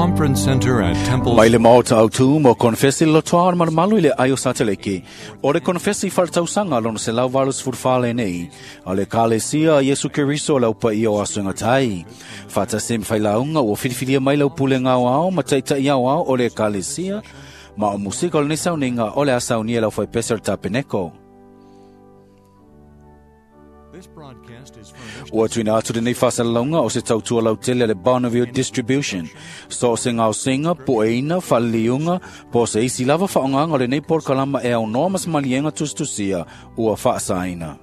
conference center at Temple Mai le maota au tū mo konfesi lo toa o le malumalu i le aio sateleki. O le konfesi whaletausaga lona 184 lenei. O le Kalesia a Iesu Keriso lau paia o aso e gatai. Faatasi ma failauga ua filifilia mai lau pulega aoao ma taitai aoao o le Ekalesia, ma o musika o lenei sauniga o le a saunia e lau faipese o le Tapeneko. This broadcast is furnished Ua tuuina atu lenei faasalalauga o se tautua lautele a le Bonneville Distribution. So o se gaosiga, pueina, faaliliuga, po o se isi lava faaaogaga o lenei polokalama e aunoa ma se maliega tusitusia ua faasaina.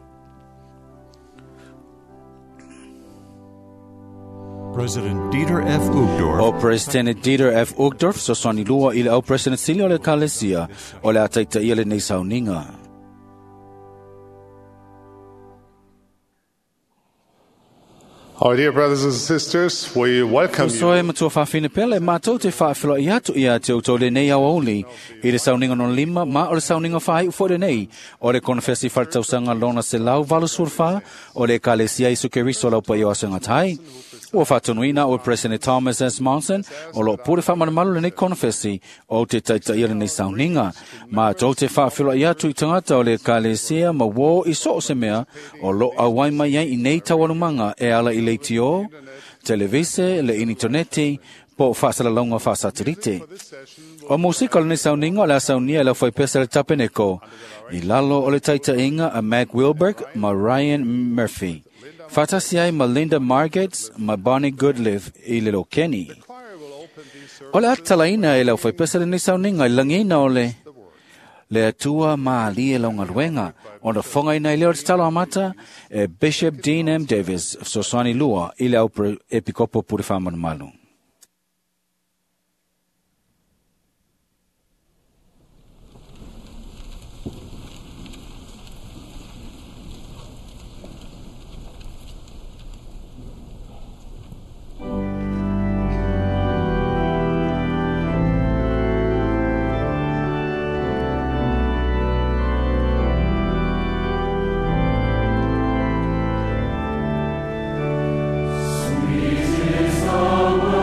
President Dieter F. Uchtdorf O President Dieter F. Uchtdorf, fesoasoani lua i le au President sili o le Ekalesia, o le a taitaia lenei sauniga. Our dear brothers and sisters, we welcome Uso you e matua faafine pele, matou te faafeloai atu ia te outou lenei aoauli i le sauniga lona lima ma o le sauniga faaiu foi lenei o le konofesi faaletausaga lona 184 o le Ekalesia Iesu Keriso lau paia o aso e gatai. Ua faatonuina o President Thomas S. Monson o loo pule faamalumalu lenei konofesi o te taitaia lenei sauniga. Matou te faafeloai atu i tagata o le Ekalesia ma uō i so o se mea o loo auai mai ai i nei taualumaga e ala i leitio, televise, le initoneti, po o faasalalauga faasatelite. O musika o lenei sauniga o le a saunia e le aufaipese a le Tapeneko i lalo o le taitaiga a Mac Wilberg ma Ryan Murphy. Faatasi ai ma Linda Margates ma Bonnie Goodlive i le Lokeni. O le a tatalaina e le aufaipese lenei sauniga i le lagiina o le le Atua malie lau galuega, ona fogaina ai lea o le tatalo amata e Bishop Dean M. Davis, fesoasoani lua i le au epikopo pule faamalumalu. Sweet is the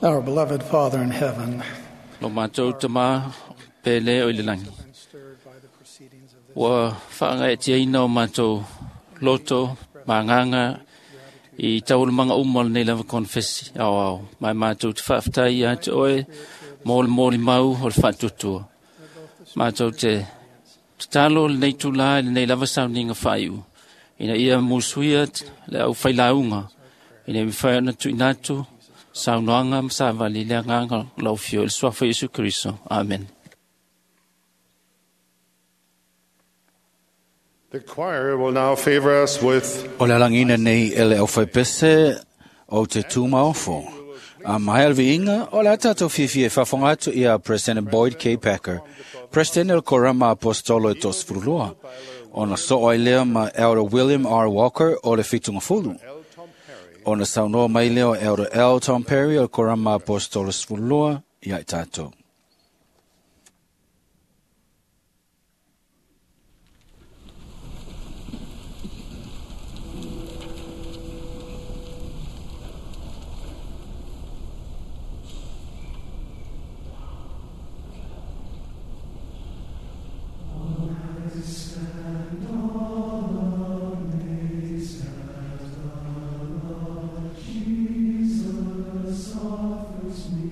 Our beloved Father in heaven, Lo mātou tamā pele o i le langi. been stirred by the proceedings of this Ua whaangaetia o mātou loto, manganga, i taualumanga uma o lenei lava konfesi ao ao. Mai mātou te whaaftai ia te oe, mō le mōli mau o le whaatutua. Mātou te tatalo lenei tūlā i lenei lava sauninga whaiu. Ina ia musuia le au whailaunga. Ina mi whai ona tuinatu, saunoanga ma savali le anganga lau fio i le suafa Iesu Kristo. Amen. The choir will now favor us with O le alangina nei e le au whaipese o te tūmaofo. A mai alviinga, o le atato fifi e whafonga atu ia President Boyd K. Packer. President el Korama Apostolo e tos furulua. Ona so ai lea ma Elder William R. Walker o le fitunga fulu. Ona saunoa mai lea o Elder L. Tom Perry o le Korama Apostolo sefululua ia i tātou. Jesus offers me.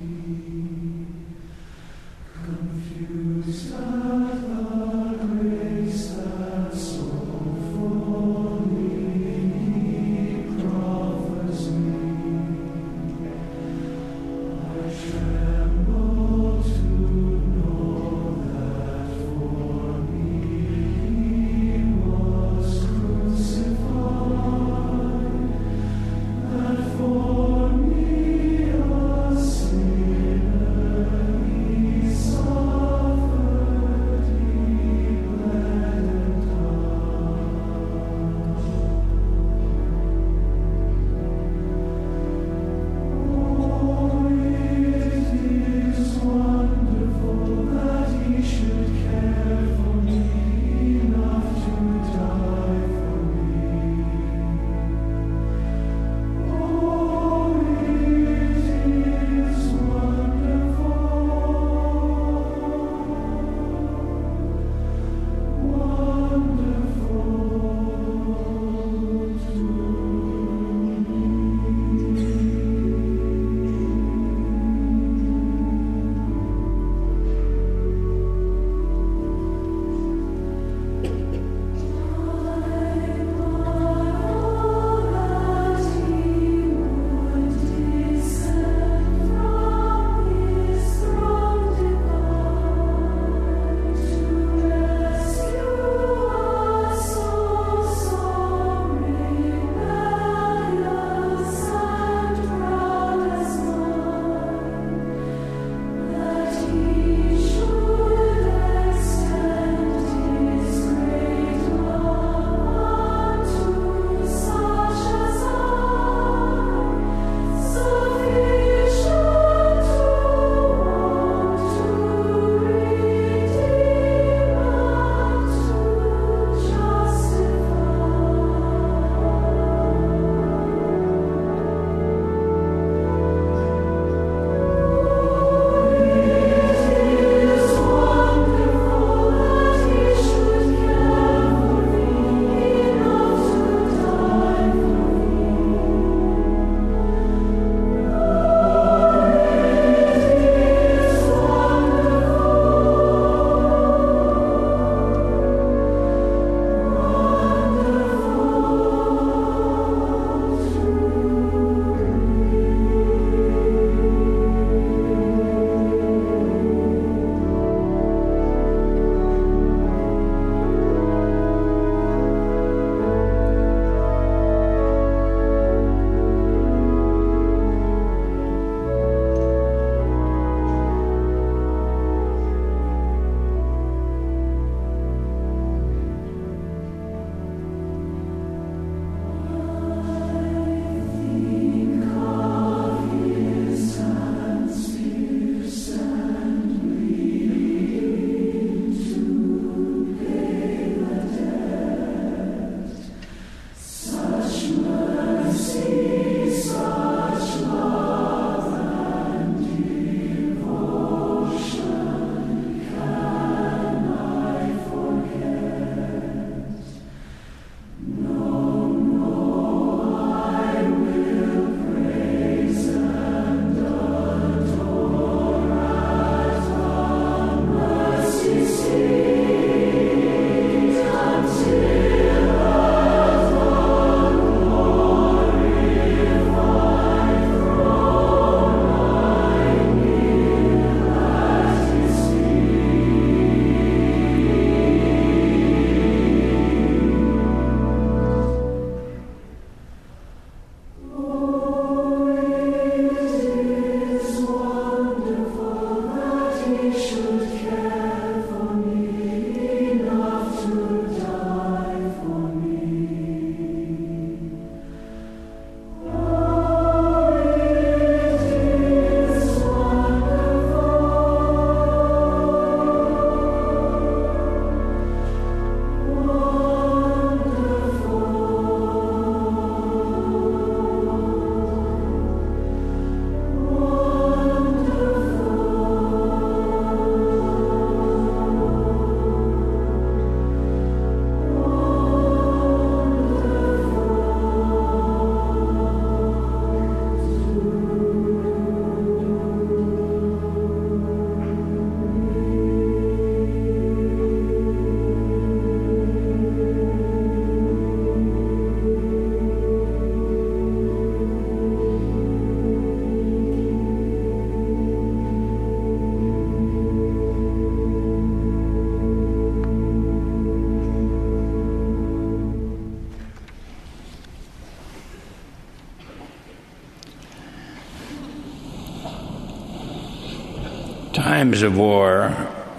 Times of war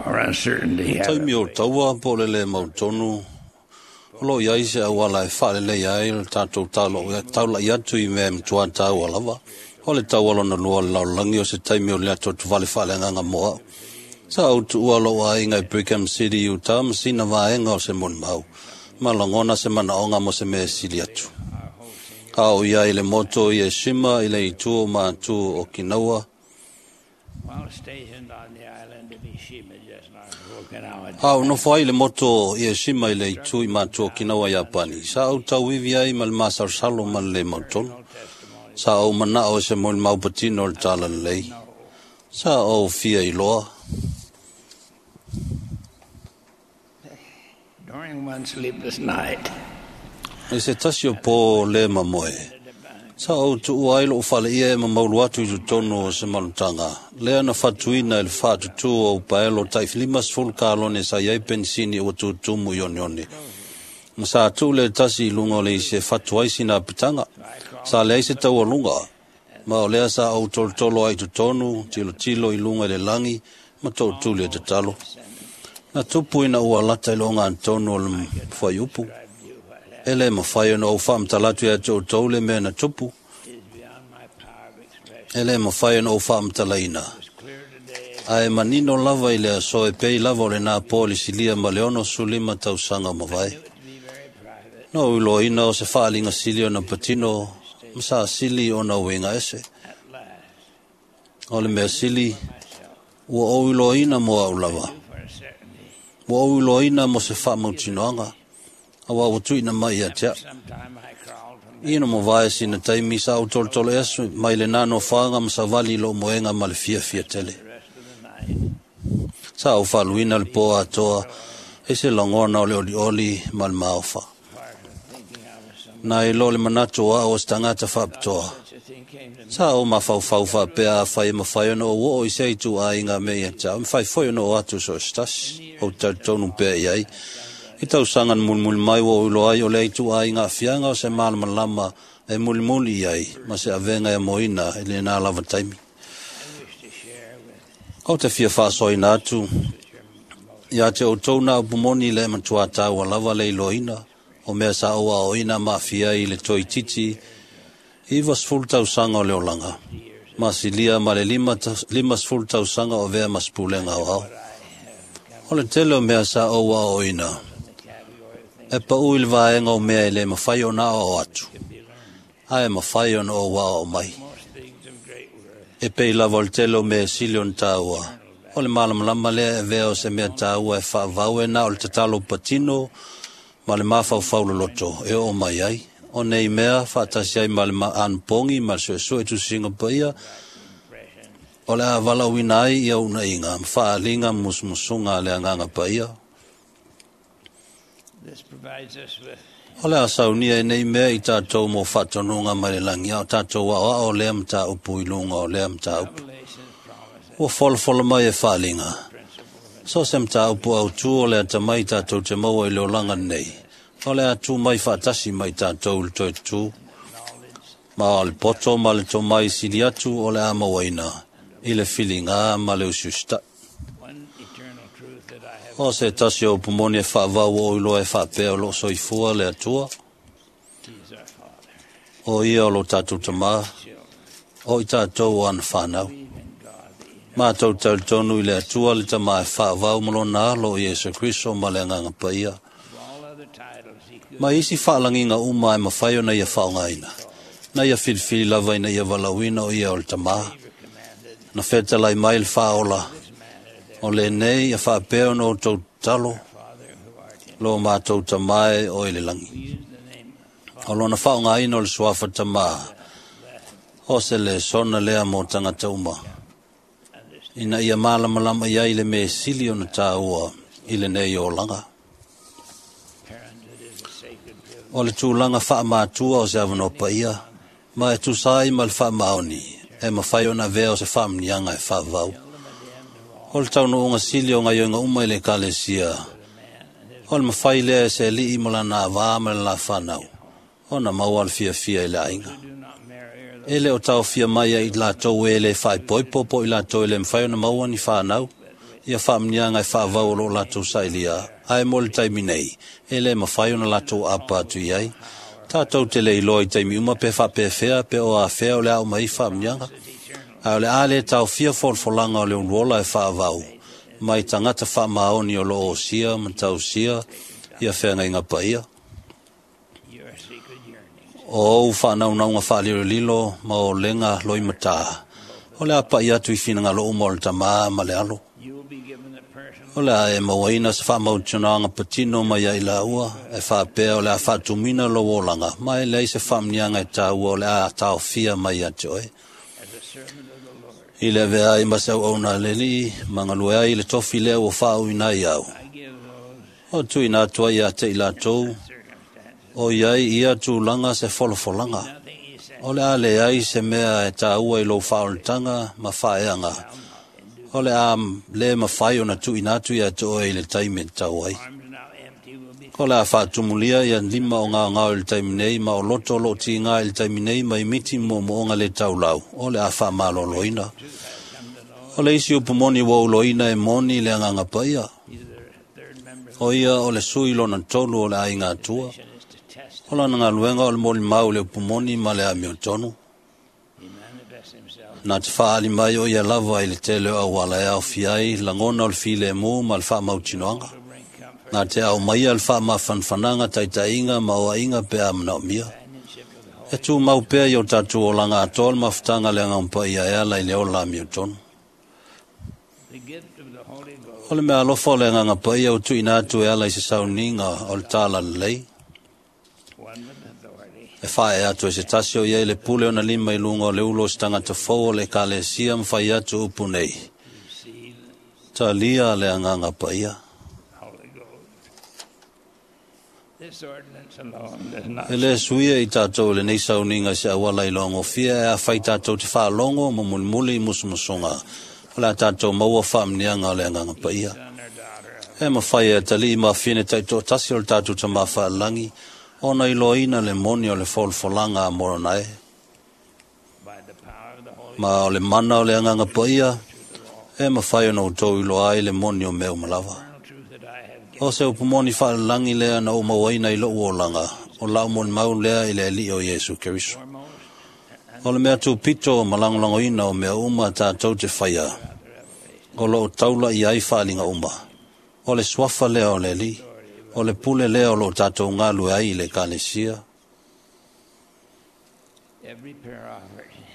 or uncertainty have Taimi o taua po o le lē mautonu, o loo i ai se auala e faaleleia ai le tatou taula'i atu i mea e matuā taua lava. O le taua lona lua o le lalolagi o se taimi o le atoatovale faaleagaga mo a'u. Sa ou tuua lo'u aiga i Brigham City, Utah, ma sina vaega o se molimau, ma lagona se manaoga mo se mea e sili atu. A o ia i le moto i Eshima i le itu o Matu o Okinawa. While stationed on the island of Ishima, just north of Okinawa, A o nofo ai le moto i Eshima i le itu i Matu o Okinawa, Iapani. Sa ou tauivi ai ma le masalosalo ma le lē mautonu. Sa ou mana'o i se molimau patino o le talalelei. Sa ou fia iloa. During one sleepless night, I se tasi o pō lē mamoe, sa ou tuua ai lo'u faleia e mamaulu atu i totonu o se malutaga, lea na fatuina i le faatutū o upaelo ta'i 50 kalone sa i ai penisini ua tutumu i oneone. Ma sa tuu le tasi i luga o le isi e fatu ai sina apitaga. Sa leai se taualuga, ma o lea sa ou tolotolo ai i totonu, tilotilo i luga i le lagi, ma to'utuli e tatalo. Na tupu ina ua lata i le ogatotonu o le fuaiupu. E lē mafai ona ou faamatala atu iā te outou le mea na tupu. E lē mafai ona ou faamatalaina. Ae manino lava i le aso e pei lava o lenā po i le silia ma le 65 tausaga o mavae. Na ou iloaina o se faaliga sili ona patino ma sa sili ona uiga ese. O le mea sili, ua ou iloaina mo a'u lava. Ua ou iloaina mo se faamautinoaga, auā ua tuuina mai ia te a'u. Sometime I crawled from Ina mavae sina taimi sa ou tolotolo esu mai lenā nofoaga ma savali i lo'u moega ma le fiafia tele. the rest of the night. Sa ou faaluina le pō atoa e se lagona o le olioli ma le maofa. Part of thinking I was some Na i lo le manatu o a'u o se tagata faapitoa. such a thing came to me. Sa ou mafaufau faapea afai e mafai ona ou oo i se ituaiga mea ia te a'u, e mafai foi ona oo atu so o se tasi, ou talitonu pea i ai. I tausaga na mulimuli mai ua ou iloa ai o lea ituaiga aafiaga o se malamalama e mulimuli i ai, ma se avega e amoina i lenā lava taimi. I wish to share with Ou te fia faasoaina atu ia te outou na upu moni le matuā taua lava le iloaina o mea sa ou aoaoina ma aafia ai i le toeitiiti 90 tausaga o le olaga, ma silia ma le 50 tausaga o avea ma se pulega aoao. O le tele o mea sa ou aoaoina, e pa'u i le vaega o mea e lē mafai ona aoao atu, ae mafai ona ou aoao mai. most things of great worth. E pei lava o le tele o mea e sili ona taua. O le malamalama lea e avea o se mea taua e faavau e na o le tatalo patino ma le mafaufau loloto e oo mai ai. O nei mea faatasi ai ma le anapogi ma le suesue tusiga paia, o le a valaauina ai ia uunaiga ma faaaliga ma musumusuga a le agaga paia. This provides us with O le a saunia e nei mea i tatou mo faatonuga mai le lagi, a o tatou aoao lea mataupu i luga o lea mataupu. Revelation's promise Ua folafola mai e faaliga. principle of So se mataupu autū o le atamai tatou te maua i le olaga nei. O le a tū mai faatasi mai tatou i le toe tutū. knowledge Ma o le poto ma le tomai sili atu o le a mauaina i le filigā ma le usiusita'i. one eternal truth that I have O se tasi o upu moni e faavau o iloa e faapea o loo soifua le Atua. He is our Father, O ia o lo tatou tamā, children, o i tatou o ana whanau. believe in God, the Mātou tauritonu i le Atua le tamā e faavau ma lona alo o Iesu Kristo ma le agaga paia. of all other titles he could Ma isi faalagiga uma e mafai ona ia faaaogaina. Na ia filifili lava ina ia valaauina o ia o le tamā. commanded Na fetalai mai le faaola. this manner their O lenei ia faapea ona outou tatalo, Father who art in lo mātou tamā e o i le lagi. We use the name O lona faaaogaina o le suafa tamā. O se le sona lea mo tagata uma. understand Ina ia malamalama i ai le mea sili ona tāua i lenei olaga. parenthood is a sacred privilege O le tulaga faamatua o se avanoa paia, ma e tusa ai ma le faamaoni, e mafai ona avea o se faamaniaga e faavavau. O le taunuuga sili o gaioiga uma i le ekalesia, o le mafai lea e se alii ma lana avā ma le lafanau, ona maua le fiafia i le aiga. do not marry or E le o taofia mai ai i latou e le faaipoipo po i latou e le mafai ona maua ni fanau. Ia faamanuiaga e faavau o loo latou sailia, ae mo le taimi nei, e le mafai ona latou apa atu i ai. Tatou te le iloa i taimi uma pe faapefea pe o afea o le a uma ai faamanuiaga. Ae o le a le taofia folafolaga o le uluola e faavau, mai tagata faamaoni o loo osia ma tausia ia feagaiga paia. O ou faanaunauga faalilolilo ma o lega loimatā, o le a pa'i atu i finagalo uma o le Tamā ma le Alo. O le a e mauaina se faamautinoaga patino mai ai laua, e faapea o le a faatumuina lou olaga, ma e leai se faamanuiaga e taua o le a taofia mai ia te oe. I le avea ai ma se auauna a le Alii, ma galue ai i le tofi lea ua faauuina ai au. O tuuina atu ai ia te i latou, o iai ia tulaga se folafolaga. O le a leai se mea e taua i lou faaolataga ma faaeaga. O le a le mafai ona tuuina atu ia te oe i le taimi e tatau ai. O le a faatumulia ia lima o gaogao i le taimi nei ma o loto o loo tiga i le taimi nei mai miti moomooga le taulau. O le a faamaloloina. O le isi upu moni ua uloina e moni le agaga paia. O ia o le sui lona tolu o le aiga Atua. O lana galuega o le molimau i le upu moni ma le amiotonu. Na te faaali mai o ia lava i le tele o auala e aofia ai lagona o le filemu ma le faamautinoaga. Na te au maia le faamafanafanaga taitaiga ma oaiga pe a manaomia. E tumau pea i o tatou olaga atoa le mafutaga le agaga paia e ala i le ola amiotonu. O le mea alofa o le agaga paia ua tuuina atu e ala i se sauniga o le talalelei. E faaee atu e se tasi o iai le pule ona lima i luga o le ulo o se tagata fou o le ekalesia ma fai atu upu nei. Talia le agaga paia. E le suia i tatou i lenei sauniga i se auala i loagofia e afai tatou te faalogo ma mulimuli i musumusuga. O le a tatou maua faamanuiaga o le agaga paia. E mafai e atalii ma afine taitoatasi o le tatou Tamā faalelagi, ona iloaina le moni o le folafolaga a Moronae. Ma o le mana o le agaga paia, e mafai ona outou iloa ai le moni o mea uma lava. O se upu moni faalelagi lea na ou mauaina i lou olaga, o lau molimau lea i le Alii o Iesu Keriso. O le mea tupito ma lagolagoina o mea uma tatou te faia, o loo taula i ai faaliga uma. O le suafa lea o le Alii, o le pule lea o loo tatou galue ai i le ekalesia.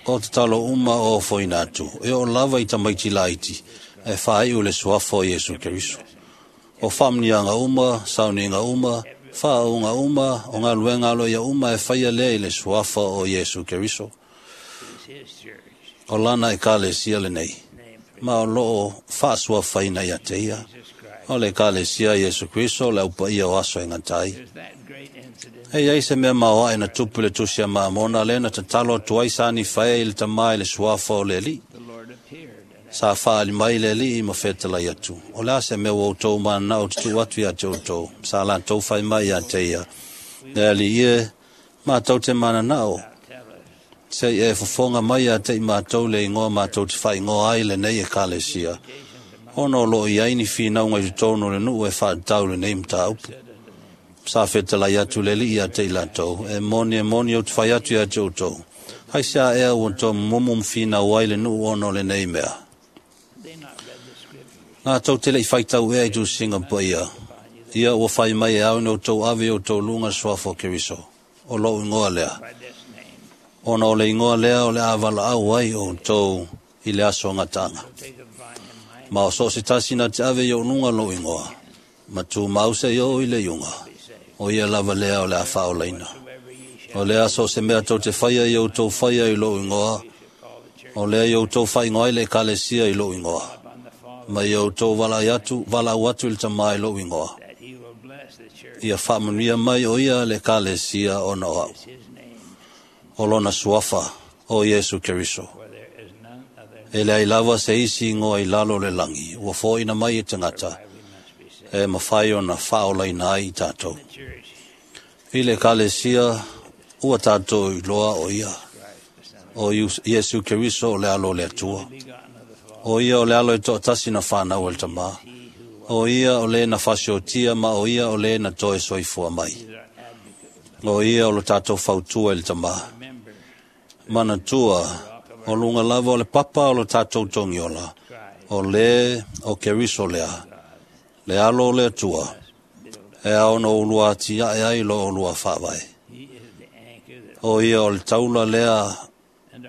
O tatalo uma o ofoina atu, e oo lava i tamaiti laiti, e faaiu le suafa o Iesu Keriso. O faamanuiaga uma, sauniga uma, faaauga uma, o galuega aloaia uma e faia lea i le suafa o Iesu Keriso. O lana ekalesia lenei, ma o loo faasuafaina ia te ia. O le ekalesia Iesu Kriso le aupaia o aso e gata ai. E iai se mea maoae na tupu i le tusi a Mamona lea na tatalo atu ai sa Nifae i le Tamā i le suafa o le Alii. Sa faaali mai le Alii ma fetalai atu. O le a se mea ua outou mananao te tuu atu ia te outou. Sa latou fai mai ia te ia. Le Alii e, matou te mananao. Se i e fofoga mai ia te i matou le ingoa matou te faaigoa ai lenei ekalesia. Ona o loo iai ni finauga i totonu o le nuu e faatatau lenei mataupu. Sa fetalai atu le Alii ia te i latou. E moni ou te fai atu ia te outou. Ai se a ea ua outou momomo ma finau ai le nuu ona o lenei mea. Latou te lei faitau ea i tusiga paia. Ia ua fai mai e au ina outou ave i outou luga le suafa o Keriso. O lou ingoa lea. Ona o le ingoa lea o le a valaau ai outou i le aso gataaga. Ma o so o se tasi na te ave i ou luga lou ingoa. Ma tumau se i oo i le iuga. O ia lava lea o le a faaolaina. O le aso o se mea tou te faia i outou faia i lou ingoa. O lea i outou faaigoa ai le ekalesia i lou ingoa. Ma i outou valaau atu i le Tamā i lou ingoa. Ia faamanuia mai o ia le ekalesia ona o au. O lona suafa o Iesu Keriso. E leai lava se isi ingoa i lalo o le lagi, ua foaina mai e tagata, e mafai ona faaolaina ai i tatou. I le ekalesia, ua tatou iloa o ia. O Iesu Keriso o le alo o le Atua. O ia o le alo e toʻatasi na fanau e le Tamā. O ia o le na fasiotia ma o ia o le na toe soifua mai. O ia o lo tatou fautua i le Tamā. Manatua, o luga lava o le papa o lo tatou togiola, o le o Keriso lea, le alo o le Atua, e ao ona oulua atiae ai lo oulua faavae. O ia o le taula lea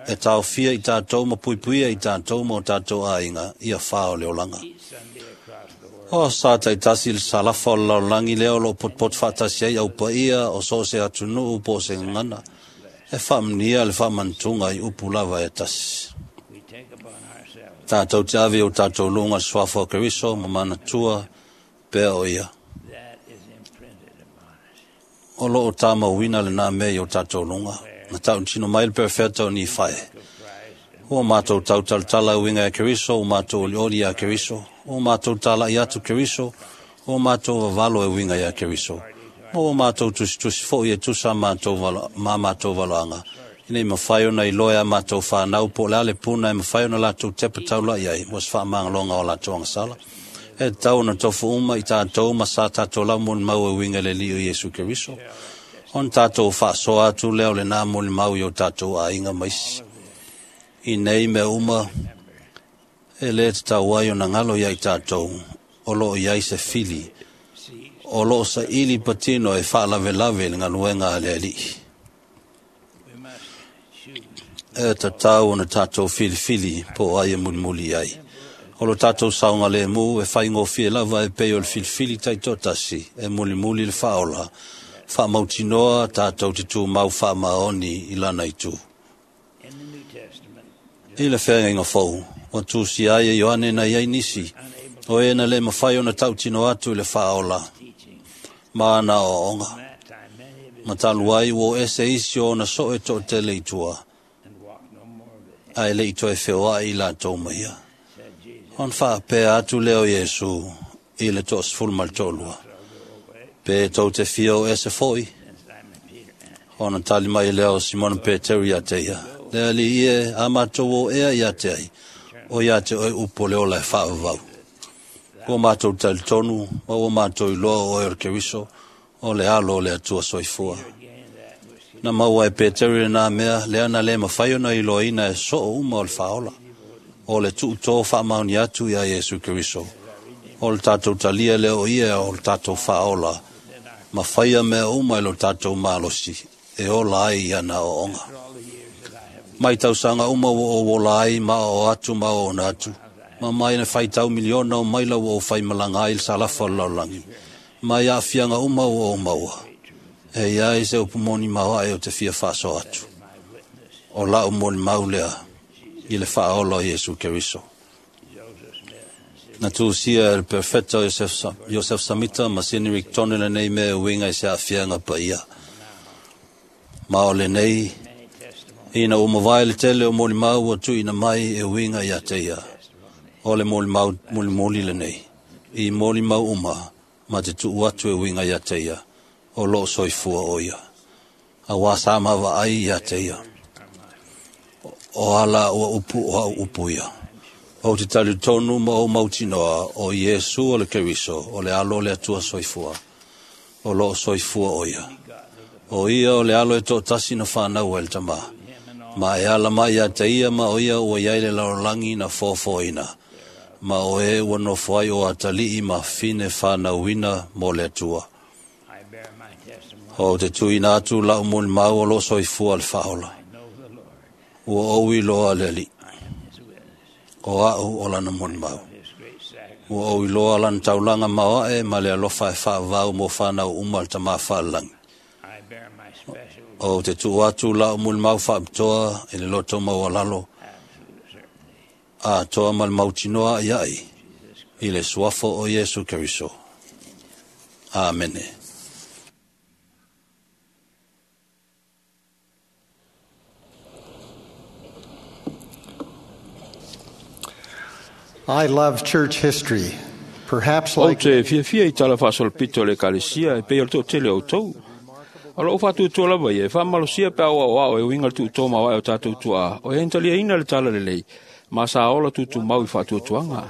e taofia i tatou ma puipuia i tatou ma o tatou aiga ia fā o le olaga. O sa taitasi le salafa o le lalolagi lea o loo potopoto faatasi ai au paia o so o se atunuu po o se gagana, e faamanuia le faamanatuga i upu lava e tasi. Tatou te ave i o tatou luga le suafa o Keriso ma manatua pea o ia. O loo tamauina lenā mea i o tatou luga, na tautino mai le perofeta o Nifae. Ua matou tautalatala e uiga ia Keriso, ua matou olioli iā Keriso, ua matou tala'i atu Keriso, ua matou vavalo e uiga iā Keriso, ma ua matou tusitusi fo'i e tusa ma matou valoaga, ina ia mafai ona iloa e a matou fanau po o le a le puna e mafai ona latou tepa taula'i ai mo se faamagaloga o latou agasala. E tatau ona tofu uma i tatou ma sa tatou laumolimau e uiga i le Alii o Iesu Keriso, ona tatou faasoa atu lea o lenā molimau i o tatou aiga ma isi. I nei mea uma, e lē tatau ai ona galo iā i tatou o loo i ai se fili o loo saili patino e faalavelave i le galuega a le Alii. E tatau ona tatou filifili po o ai e mulimuli i ai. O lo tatou saogalemu e faigofie lava e pei o le filifili taitoatasi e mulimuli le faaola, faamautinoa tatou te tumau faamaoni i lana itu. I le feagaiga fou, ua tusia ai e Ioane na i ai nisi, o e na lē mafai ona tautino atu i le faaola ma ana aoaoga. Ma talu ai ua o ese isi o ona soo e toatele i tua, ae leʻi toe feoaʻi i latou ma ia. Ona faapea atu lea o Iesu i le 12, pe tou te fia o ese foʻi? Ona tali mai lea o Simona Peteru iā te ia, le Alii e, a matou o ea iā te ai, o iā te oe upu o le ola e faavavau. Ua matou talitonu, ma ua matou iloa o oe o le Keriso, o le alo o le Atua soifua. Na maua e Peteru lenā mea, lea na lē mafai ona iloaina e soo uma o le faaola, o le tuutō faamaoni atu iā Iesu Keriso, o le tatou talia lea o ia o le tatou faaola, ma faia mea uma i lo tatou malosi, e ola ai i ana aoaoga. Mai tausaga uma ua ou ola ai ma aoao atu ma aoaona atu, ma mai na faitau miliona o maila ua ou faimalaga ai i le salafa o le lalolagi, mai aafiaga uma ua ou maua, e i ai se upu moni maoaʻe ou te fia faasoa atu. O lau molimau lea i le faaola o Iesu Keriso. Na tusia e le perofeta o Iosefo Samita ma Sidney Rigdon lenei mea e uiga i se aafiaga paia. Ma o lenei, ina ua mavae le tele o molimau ua tuuina mai e uiga iā te ia, o le molimau mulimuli lenei, i molimau uma ma te tuu atu e uiga iā te ia, o loo soifua o ia. Auā sa maavaai iā te ia. O ala ua upu o au upu ia. Ou te talitonu ma ou mautinoa o Iesu o le Keriso, o le alo o le Atua soifua, o loo soifua o ia. O ia o le alo e toatasi na fanau ai le Tamā, ma e ala mai iā te ia ma o ia ua i ai le lalolagi na foafoaina, ma o e ua nofo ai o atalii ma fine fanauina mo le Atua. Ou te tuuina atu lau molimau o loo soifua le faaola. Ua ou iloa le Alii. O au o lana molimau. Ua ou iloa lana taulaga maoaʻe ma le alofa e faavavau mo fanau uma a le Tamā Faalelagi. Ou te tuu atu lau molimau faapitoa i le loto maualalo, atoa ma le mautinoa aʻiaʻi i le suafa o Iesu Keriso. Amene. I love church history. Perhaps Ou like te fiafia i tala faasolopito o le Ekalesia e pei o le toatele o outou. O lou faatuatua lava ia e faamalosia pe a oaoao e uiga le tuuto maoae o tatou tuaa o e taliaina le tala lelei ma sa ola tutumau i faatuatuaga.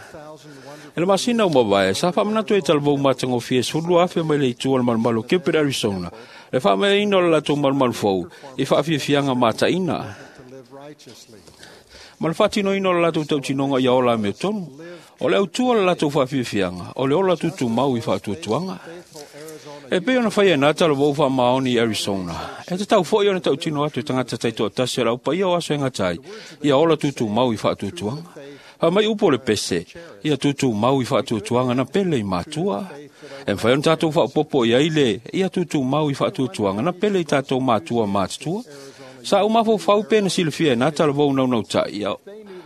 E le masina ua mavae sa faamanatu ai talavou matagofie 12,000 mai le itu o le malumalu o Gilbert, Arizona, le faamaeaina o le latou malumalu fou i faafiafiaga mataina ma le faatinoina o le latou tautinoga ia ola amiotonu. O le autua o le latou faafiafiaga o le ola tutumau i faatuatuaga. E pei ona faia e nā talavou faamaoni i Arizona, e tatau foi ona tautino atu i tagata taitoatasi o le aupaia o aso e gata ai, ia ola tutumau i faatuatuaga. Faamai upu o le pese, ia tutumau i faatuatuaga na pele i matua. E mafai ona tatou faaopoopo i ai le, ia tutumau i faatuatuaga na pele i tatou matua matutua. Sa ou mafaufau pe na silafia e nā talavou naunautai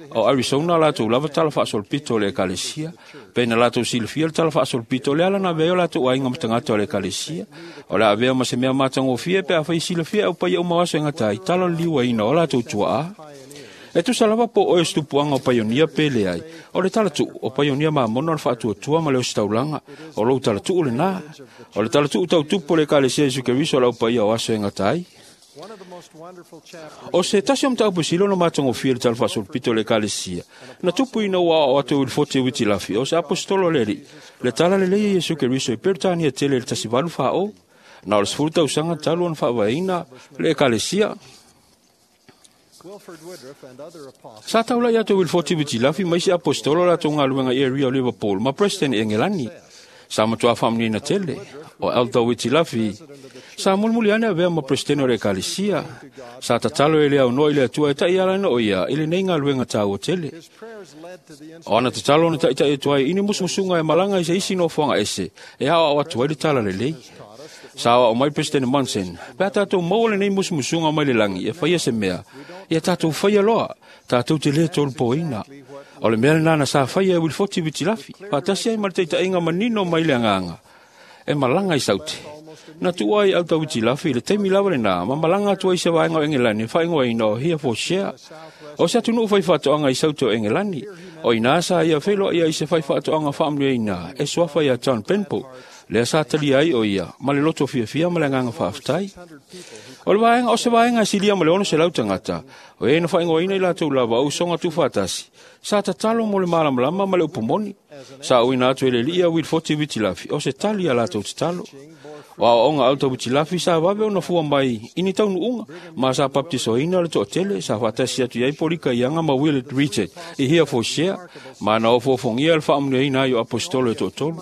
o Arizona latou lava tala faasolopito o le ekalesia, pe na latou silafia le tala faasolopito o le ala na avea ai o latou aiga ma tagata o le ekalesia. O le a avea ma se mea matagofie pe afai silafia e aupaia uma o aso e gata ai tala o le liuaina o latou tuaa. E tusa lava po o oe o se tupuaga o paionia pe leai, o le talatuu o paionia mamona o le faatuatua ma le ositaulaga, o lou talatuu lenā. O le talatuu tautupu o le ekalesia Iesu Keriso o le aupaia o aso e gata ai. O se tasi o mataupu sili ona matagofie i le tala faasolopito o le ekalesia, na tupu ina ua aoao atu e Uilifote Uitilafi o se aposetolo a le Alii, le tala lelei a Iesu Keriso i Peretania tele i le 1840, na o le 10 tausaga talu ona faavaeina le ekalesia. Sa taulai atu e Uilifote Uitilafi ma isi aposetolo latou galuega i area o Liverpool ma Preston i Engelani. Sa matua faamanuiaina tele o Elder Uitilafi sa mulimuli ane avea ma presidente o le ekalesia. Sa tatalo e le aunoa i le Atua e taiala o ia i lenei galuega taua tele. O ana tatalo na taitai atu ai i ni musumusuga e malaga i se isi nofoaga ese e aoao atu ai le tala lelei. Sa aoao mai President Monson, pe a tatou maua lenei musumusuga mai le lagi e faia se mea, ia tatou faia loa, tatou te lē tolupoina. O le mea lenā na sa faia e Uilifote Uitilafi, faatasi ai ma le taitaiga manino mai le agaga e malaga i Saute. Na tuua ai Elder Uitilafi i le taimi lava lenā ma malaga atu ai i se vaega o Engelani e faaigoaina o Herefordshire. O se atunuu faifaatoaga i Saute o Engelani. O inā sa ia feiloai ai i se faifaatoaga faamanuiaina e suafa ia John Benbow, lea sa talia ai o ia ma le loto fiafia ma le agaga faafetai. O le vaega o se vaega e silia ma le 600 tagata, o e na faaigoaina i latou lava o usoga tuufaatasi, sa tatalo mo le malamalama ma le upu moni. Sa uina atu e le alii ia Uilifote Uitilafi o se tali a latou tatalo. O aoaoga Elder Uitilafi sa vave ona fua mai i ni taunuuga ma sa baptisoina le toatele sa faatasi atu i ai Polika Ianga ma Willard Richard i Herefordshire, ma na ofoofogia le faamanuiaina ai o aposetolo e toatolu.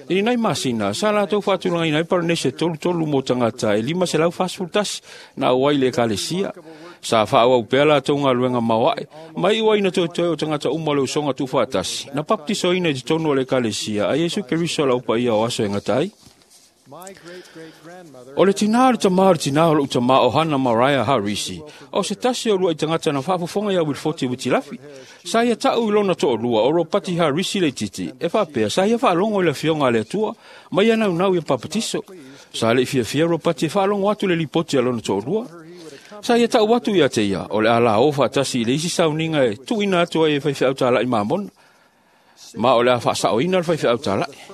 I lenei masina, sa latou faatulagaina ai Paranese 33 mo tagata e 541 na auai i le ekalesia. Sa faaauau pea latou galuega maoae, ma iu ai na toetoe o tagata uma o le usoga tuufaatasi, na baptisoina i totonu o le ekalesia a Iesu Keriso o le aupaia o aso e gata ai. O le tinā o le tamā o le tinā o lou tamā o Hana Mariah Harisi, o se tasi o luai tagata na faafofoga ia Uilifote Uitilafi. Sa ia ta'u i lona to'alua o Ropati Harisi Leititi, e faapea sa ia faalogo i le afioga a le Atua ma ia naunau ia papatiso. Sa le'i fiafia Ropati e faalogo atu le lipoti a lona to'alua. Sa ia ta'u atu ia te ia, o le a lao faatasi i le isi sauniga e tuuina atu ai e faifeau tala'i mamona, ma o le a faasaoina le faifeau tala'i.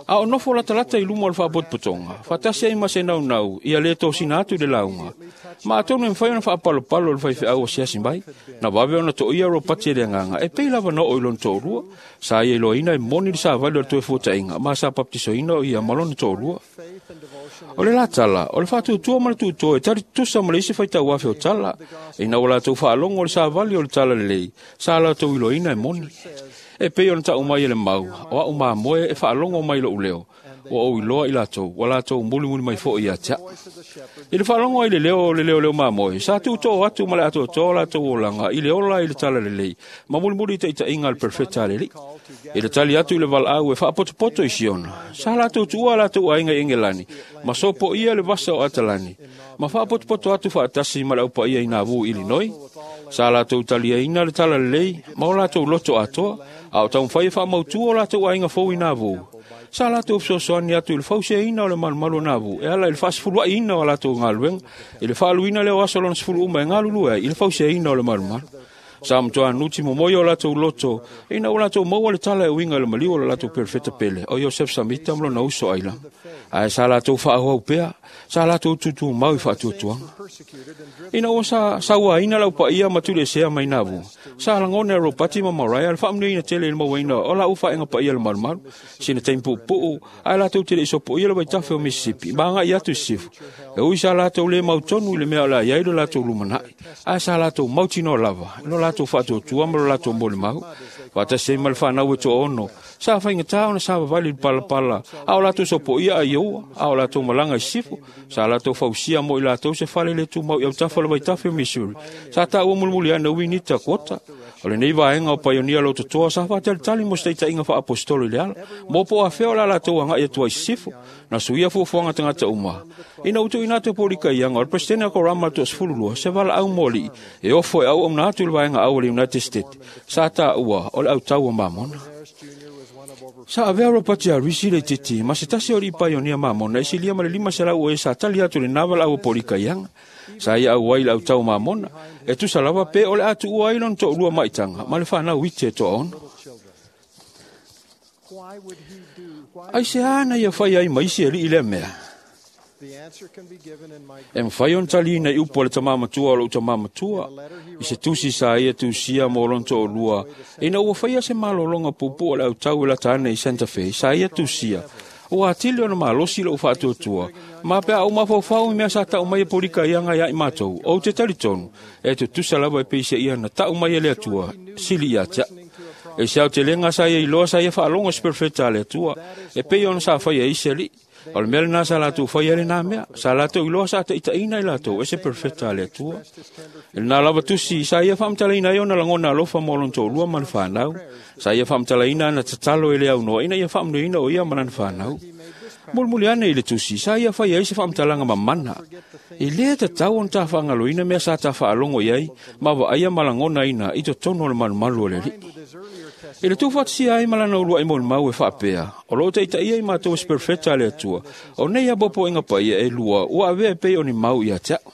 A o nofo latalata i luma o le faapotopotoga, faatasi ai ma se naunau ia lē tosina atu i le lauga. Ma atonu e mafai ona faapalopalo le faifeau asiasi mai, na vave ona to'ia Ropati e le agaga e pei lava na oo i lona to'alua. Sa ia iloaina e moni le savali o le toefuata'iga ma sa baptisoina o ia ma lona to'alua. O le latala, o le faatuatua ma le tuutoa e tali tutusa ma le isi faitauafe o tala. Ina ua latou faalogo o le savali o le tala lelei, sa latou iloaina e moni. E pei ona ta'u mai e le mau, o a'u mamoe e faalogo mai lo'u leo, ua ou iloa i latou, ua latou mulimuli mai fo'i ia te a'u. I le faalogo ai le leo o le leoleo mamoe, sa tuutoo atu ma le atoatoa o latou olaga i le ola i le tala lelei, ma mulimuli i taitaiga a le perofeta a le Alii. I le tali atu i le valaau e faapotopoto i Siona, sa latou tuua latou aiga i Engelani, ma sopoia le vasa o Atalani, ma faapotopoto atu faatasi ma le aupaia i Nauvoo i Illinois. Sa latou taliaina le tala lelei ma o latou loto atoa, a o taumafai e faamautu o latou aiga fou i Nauvoo. Sa latou fesoasoani atu i le fausiaina o le malumalu o Nauvoo e ala i le faasefulua'iina o latou galuega, i le faaluina lea o aso lona 10 uma e galulue ai i le fausiaina o le malumalu. Sa matua nuti momoe o latou loto, ina ua latou maua le tala e uiga i le maliu o le latou perofeta pele, o Iosef Samita ma lona uso Aila. Ae sa latou faaauau pea, sa latou tutumau i faatuatuaga. Ina ua sa sauaina lau paia ma tuliesea mai Nauvoo, sa lagona e Ropati ma Mariah le faamanuiaina tele i le mauaina o lau faaiga paia le malumalu, sina taimi puupuu, ae latou te le i sopoia le vaitafe o Mississippi, ma agai atu i sisifo. E ui sa latou le mautonu i le mea o le a i ai lo latou lumanai, ae sa latou mautinoa lava i lo latou faatuatua ma lo latou molimau. Faatasi ai ma le fanau e toaono, sa faigata ona savavali i le palapala, a o latou sopoia Iowa, a o latou malaga i sisifo, sa latou fausia mo i latou se fale le tumau i autafa o le vaitafe o Missouri. Sa taua mulimuli ane Winita Kota. O lenei vaega o paionia lototoa sa faatalitali mo se taitaiga faaapostolo i le ala, mo po o afea o le a latou agai atu ai i sisifo, na suia fuafuaga tagata uma. Ina ua tuuina atu e Polikaiaga o le Peresetene a Korama le 12, se valaau mo alii e ofo e auauna atu i le vaega au o le United States, sa taua o le autau o Mamona. Sa avea Robert Harris le itiiti ma se tasi o alii paionia Mamona e silia ma le 500 o e sa tali atu i lena valaau a Polikaiaga. Sa ia auai i le autau Mamona, e tusa lava pe o le a tuua ai lona toalua maitaga ma le fanau iti e toaono. Aisea na ia fai ai ma isi alii lea mea? E mafai ona taliina i upu a le tamā matua o lou tamā matua, i se tusi sa ia tusia mo lona toalua, ina ua faia se malologa puupuu o le autau e lata ane i Santa Fe, sa ia tusia, ua atili ona malosi lou faatuatua, ma pe a ou mafaufau i mea sa tau mai e Polikaiaga ia i matou, ou te talitonu, e tutusa lava e peiseia na tau mai e le Atua, sili ia te au. E se aotelega sa ia iloa sa ia faalogo se perofeta a le Atua, e pei ona sa faia i isi alii. O le mea lena sa latou faia lena mea, sa latou iloa sa taitaiina i latou e se perofeta a le Atua. E lena lava tusi, sa ia faamatalaina ai ona lagona alofa mo lona toalua ma le fanau. Sa ia faamatalaina ana tatalo e le aunoa ina ia faamanuiaina o ia ma lana fanau. Mulimuli ane i le tusi, sa ia faia ai se faamatalaga mamana. E le tatau ona tafaagaloina mea sa tafaalogo i ai, ma vaaia ma lagonaina i totonu o le malumalu o le alii. I le tuufaatasia ai ma lana uluai molimau e faapea, o loo taitaia i matou e se perofeta a le Atua, o nei apoapoaiga paia e lua ua avea e pei o ni mau ia te au.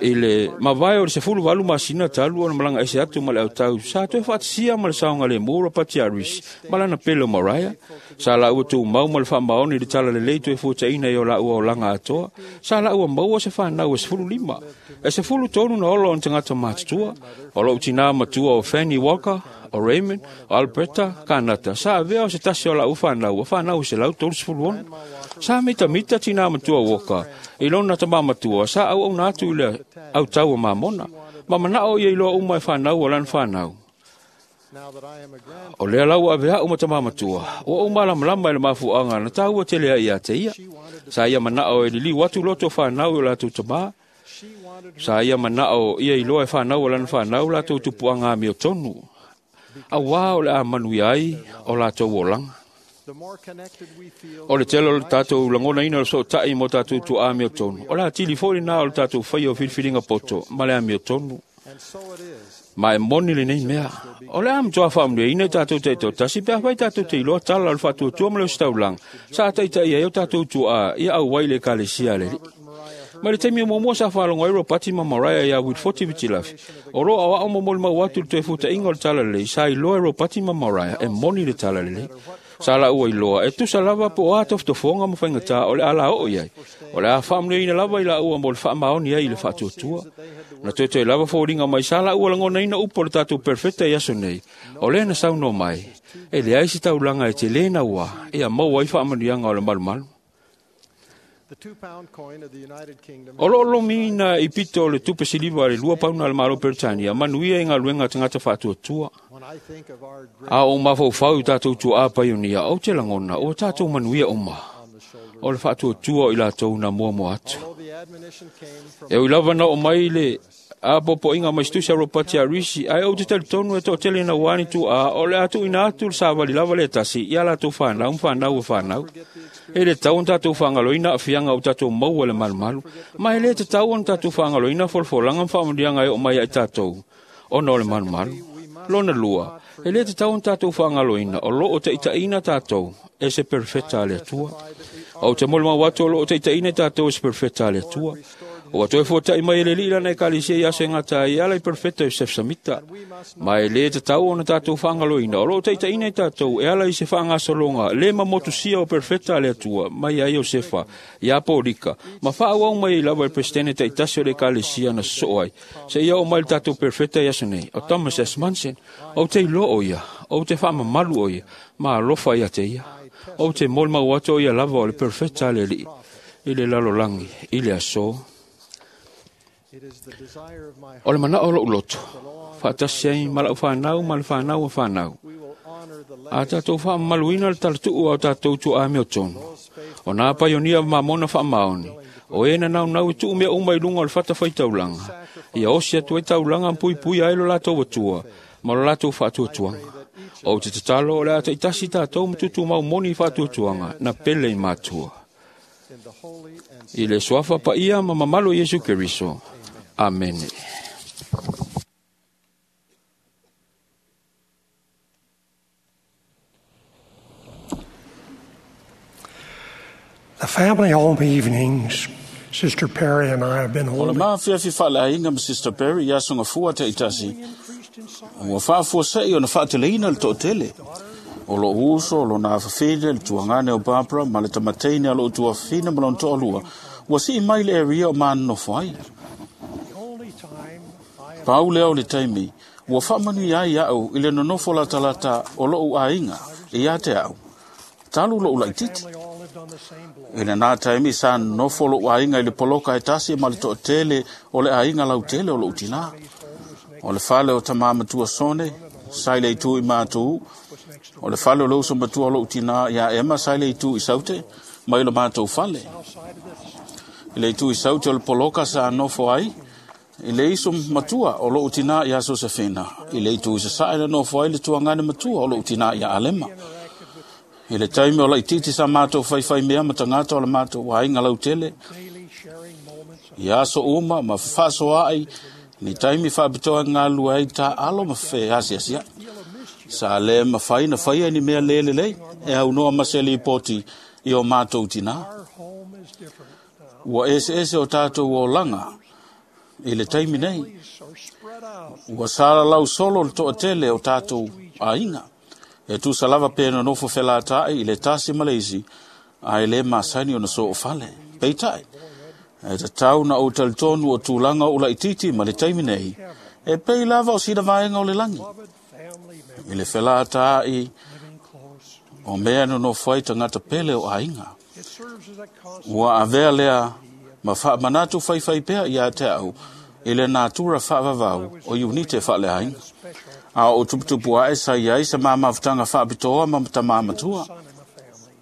I le mavae o le 18 masina talu ona malaga ese atu ma le autau, sa toe faatasia ma le saogalemu Robert Harris ma lana pele o Mariah. Sa laua tumau ma le faamaoni i le talalelei toe fuataina i o laua olaga atoa, sa laua maua se fanau e 15. E 13 na ola o tagata matutua, o lou tinā matua o Fanny Walker, o Raymond, o Alberta, Kanata, sa avea o se tasi o lau fanau, o fanau e 136. Sa mitamita tinā matua Walker, i lona tamā matua, sa auauna atu i le autau o Mamona, ma manao ia iloa uma e fanau o lana fanau. O lea lau avea o ma tamā matua, ua ou malamalama i le mafuaaga na taua tele ai ia te ia. Sa ia manao e liliu atu loto fanau i o latou tamā. Sa ia manao ia iloa e fanau o lana fanau latou tupuaga amiotonu. Auā o le a manuia ai o latou olaga. O le tele o le tatou lagonaina o le sootai mo tatou tuaa amiotonu, o le atili foi lena o le tatou faia o filifiliga poto ma le amiotonu. Ma e moni lenei mea, o le a matua faamanuiaina i tatou taitoatasi pe afai tatou te iloa tala o le faatuatua ma le ositaulaga, sa taitai ai o tatou tuaa ia auai i le ekalesia a le Alii. Mai le taimi o muamua sa faalogo ai Ropati ma Mariah ia Wilfoti Vitilafi, o loo aoao mo molimau atu i le toe futaiga o le talalelei, sa iloa e Ropati ma Mariah e moni le talalelei. Sa laua iloa e tusa lava po o a tofotofoga ma faigata o le a laoo i ai, o le a faamanuiaina lava i laua mo le faamaoni ai i le faatuatua. Na toetoe lava foliga mai sa laua lagonaina upu o le tatou perofeta i aso nei, o lea na saunoa mai, e leai se taulaga e tele naua ia maua ai faamanuiaga o le malumalu. O loo lomiina i pito o le tupe siliva le 2 pauna a le Malo Peretania, manuia i galuega a tagata faatuatua. A o mafaufau i tatou tuaa paionia, ou te lagona ua tatou manuia uma. O le faatuatua o i latou na muamua atu. E ui lava na oo mai le apoapoaiga mai se tusi a Robert Harris, ae ou te talitonu e toatele naua ni tuaa o le a tuuina atu le savali lava le tasi ia latou fanau ma fanau e fanau. E le tatau ona tatou faagaloina aafiaga o tatou maua i le malumalu, ma e le tatau ona tatou faagaloina folafolaga ma faamanuiaga e oo mai ia i tatou ona o le malumalu. Lona lua, e le tatau ona tatou faagaloina o loo taitaiina tatou e se perofeta a le Atua. Ou te molimau atu o loo taitaiina tatou e se perofeta a le Atua. Ua toe fuata'i mai e le Alii lana Ekalesia i aso e gata ai e ala i Perofeta Iosefo Samita. Ma e lē tatau ona tatou faagaloina o loo taitaʻina i tatou e ala i se faagasologa lē mamotusia o Perofeta a le Atua mai ai Iosefa iā Polika ma faaauau mai ai lava e le Peresetene taitasi o le Ekalesia na sosoo ai seia oo mai le tatou Perofeta i aso nei o Thomas S. Monson. Ou te iloa o ia, ou te faamamalu o ia, ma alofa ia te ia. Ou te molimau atu o ia lava o le Perofeta a le Alii i le lalolagi i le aso. O le manao o lou loto, faatasi ai ma lau fanau ma le fanau a fanau. A tatou faamamaluina le talatuu a o tatou tuaamio tonu. O nā paionia mamona faamaoni, o e na naunau e tuu mea uma i luga o le fatafaitaulaga, ia osi atu ai taulaga ma puipuia ai lo latou atua ma lo latou faatuatuaga. Ou te tatalo o le a taitasi tatou ma tutumau moni i faatuatuaga na pele i matua. I le suafa paia ma mamalu o Iesu Keriso. Amene. The family home evenings Sister Perry and I have been O le holding. maafiafi faaleaiga ma Sister Perry i aso gafua taʻitasi, ua faafuaseʻi ona faateleina le toʻatele. O lou uso, o lona afafine, le tuagane o Barbara, ma le tamateine a lou tuafafine ma lona toalua, ua sii mai le area o manonofo ai. Pau lea o le taimi, ua faamanuia ai aʻu i le nonofo latalata o loʻu aiga ia te aʻu. Talu loʻu laʻititi. I lenā taimi sa nonofo loʻu aiga i le poloka e tasi ma le toʻatele o le aiga lautele o loʻu tinā. O le fale o tamā matua Sone, sa i le itu i mātū. O le fale o le uso matua o loʻu tinā iā Ema sa i le itu i Saute, mai lo mātou fale. I le itu i Saute o le poloka sa nofo ai, i le iso matua o loʻu tinā iā Sosefina. I le itu i Sasaʻe na nofo ai le tuagane matua o loʻu tinā iā Alema. I le taimi o laʻititi sa mātou faifai mea ma tagata o le mātou aiga lautele, i aso uma ma fefaasoaʻi ni taimi faapitoa e galulue ai taalo ma feasiasiaʻi. Sa lē mafai na faia ni mea lē lelei e aunoa ma se lipoti i o mātou tinā. Ua eseese o tatou olaga i le taimi nei. Ua salalau solo le toʻatele o tatou aiga. E tusa lava pe nonofo felataʻi i le tasi ma le isi, ae lē masani ona soofale. Peitai, e tatau na ou talitonu o tulaga o laʻititi ma le taimi nei, e pei lava o sina vaega o le lagi. I le felataʻi o mea nonofo ai tagata pele o aiga. Ua avea lea ma faamanatu faifai pea ia te aʻu i le natura faavavau o iunite faaleaiga. A o tuputupu aʻe sa iai se mamafutaga faapitoa ma tamā matua.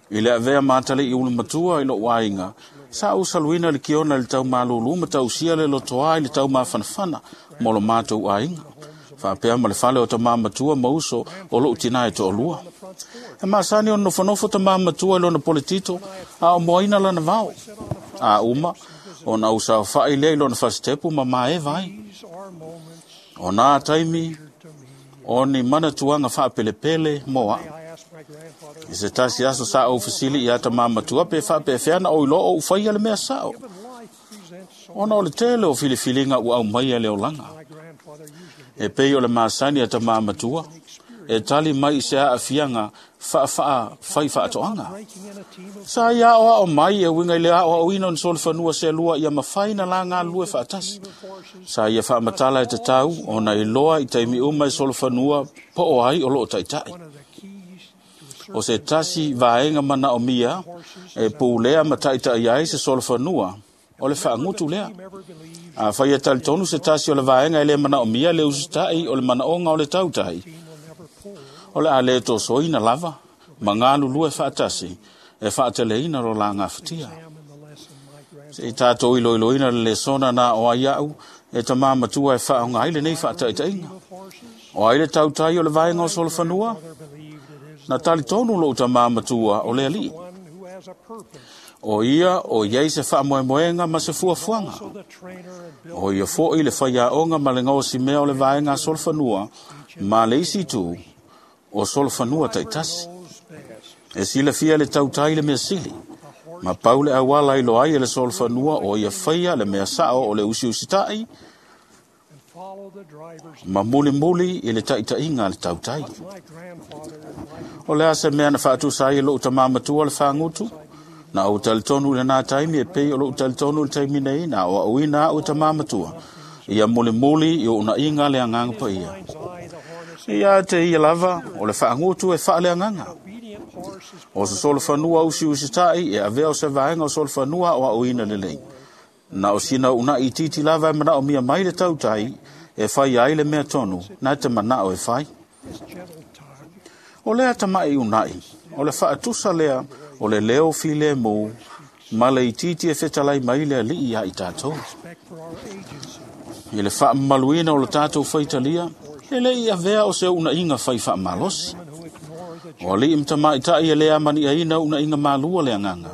I le avea mataliʻi ulu matua i loʻu aiga, sa ou saluina le kiona i le taumalūlū ma tausia le lotoā i le taumafanafana mo lo matou aiga. Faapea ma le fale o tamā matua ma uso o loʻu tinā e toʻalua. E masani ona nofonofo tamā matua i lona poletito, a o moaina lana vao. A uma, ona ou saofaʻi lea i lona fasitepu ma maeva ai. O nā taimi, o ni manatuaga faapelepele mo aʻu. I se tasi aso sa ou fesili iā tamā matua pe faapefea na ou iloa o ou faia le mea saʻo. Ona o le tele o filifiliga ua aumaia le olaga. E pei o le masani a tamā matua, e tali mai i se aafiaga faafaa fai faatoaga. Sa ia aʻoaʻo mai e uiga i le aʻoaʻoina o ni solofanua selua ia mafai na la galulue faatasi. Sa ia faamatala e tatau ona iloa i taimi uma e solofanua po o ai o loo taʻitaʻi. O se tasi vaega manaʻomia e pulea ma taʻitaʻi ai se solofanua o le faagutu lea. A faia talitonu se tasi o le vaega e lē manaʻomia le usitaʻi o le manaʻoga o le tautai, o le a lē tosoina lava ma galulue faatasi e faateleina lo la gafatia. Seʻi tatou iloiloina le lesona na o ai aʻu e tamā matua e faaoga ai lenei faataʻitaʻiga. O ai le tautai o le vaega o solofanua? Na talitonu lou tamā matua o le Alii. O ia o iai se faamoemoega ma se fuafuaga. O ia foʻi le faiaʻoga ma le gaosimea o le vaega a solofanua ma le isi itu o solofanua taʻitasi. E silafia le tautai le mea sili. Ma pau le auala i loa ai e le solofanua o ia faia le mea sao o le usiusitai ma mulimuli i le taitaiga a le tautai. O le a se mea na faatusa ai e lou tamā matua le fagutu? Na ou talitonu i lena taimi e pei o lou talitonu i le taimi nei na aoaoina au e tamā matua. Ia mulimuli i uunaiga le agaga paia. Ia te ia lava o le faagutu e faaleagaga. O se solofanua usiusitai e avea o se vaega o solofanua aoaoina lelei. Na o sina uunai itiiti lava e manaomia mai le tautai e fai ai le mea tonu na te manao e fai. O lea tamai uunai, o le faatusa lea o le leo filemu ma le itiiti e fetalai mai le alii ia i tatou. I le faamamaluina o le tatou faitalia, e le i avea o se uunaiga fai faamalosi. O alii ma tamaitai e le amaniaina uunaiga malua le agaga.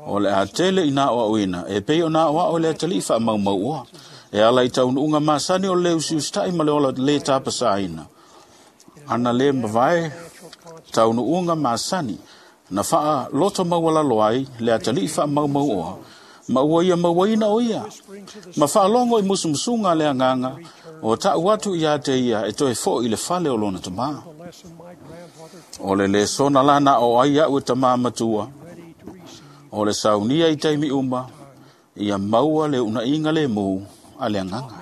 O le a tele i nā oaoina, e pei o nā oao le atalii faamaumauoa. E ala i taunuuga masani o le usiusitai ma le ola le tapasaina. Ana le mavae taunuuga masani, na faa loto maualalo ai le atalii faamaumauoa, ma ua ia mauaina o ia. Ma faalogo i musumusuga le agaga, o tau atu ia te ia e toe foi i le fale o lona tamā. O le lesona la na o ai au e tamā matua, o le saunia i taimi uma, ia maua le uunaiga le mu a le agaga.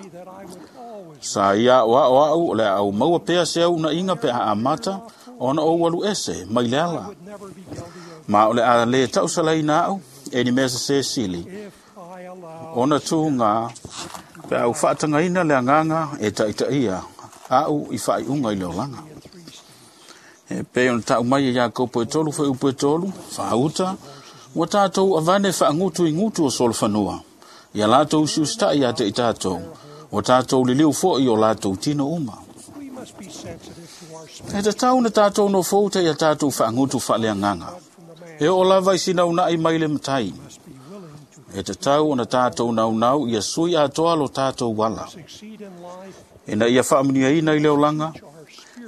Sa ia o ao au o le au maua pea se uunaiga pe a amata, ona o alu ese mai le ala. Ma o le a le tausalaina au, e ni mea se sili, ona tū ngā pe au whaatangaina le agaga e taitaia au i whaaiunga i le olaga. E pei ona tau mai e Iakopo e 3 fuaiupu e 3, faauta, ua tātou avane faangutu i gutu o solofanua. Ia latou usiusitai ia te i tātou, ua tātou liliu foi o latou tino uma. E tatau na tātou no fouta ia tātou faangutu faaleagaga. E o lava i sina unai mai le matai. E tatau ona tātou naunau ia sui atoa lo tātou wala. Ina ia faamuniaina i le olaga,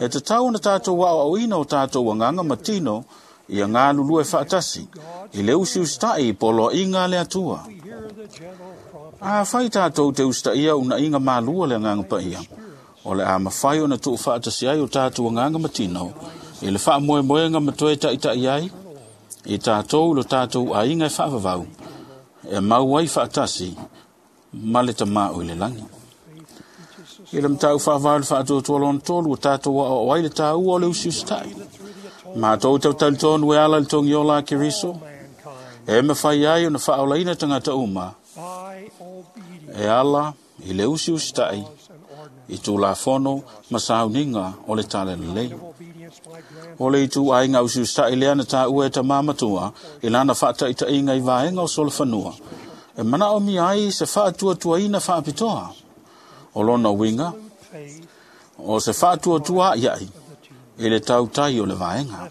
e tatau ona tātou aoaoina o tātou agaga ma tino ia galulue faatasi i le usiusitai i poloaiga a le Atua. A fai tātou te usitaia unaiga malua le agaga paia, o le a mafai ona tuufaatasi ai o tātou agaga ma tino i le faamoemoega ma toe taitai ai i tātou lo tātou aiga e faavavau, e mau ai faatasi ma le tamā o i le lagi. I le matau faavae o le faatuatua lona tolu, o tātou aoao ai le tāua o le usiusitai. Mātou tautalitonu e ala le togiola a Keriso, e mawhai ai ona faaolaina tagata uma, e ala i le usiusitai i tulafono ma sauniga o le tala lelei. O le itu aiga usiusitai lea na tāua e tamā matua i lana faataitaiga i vaega o solofanua, e manaomia ai se faatuatuaina faapitoa. O lona uiga, o se faatuatua iai i le tautai o le vaega.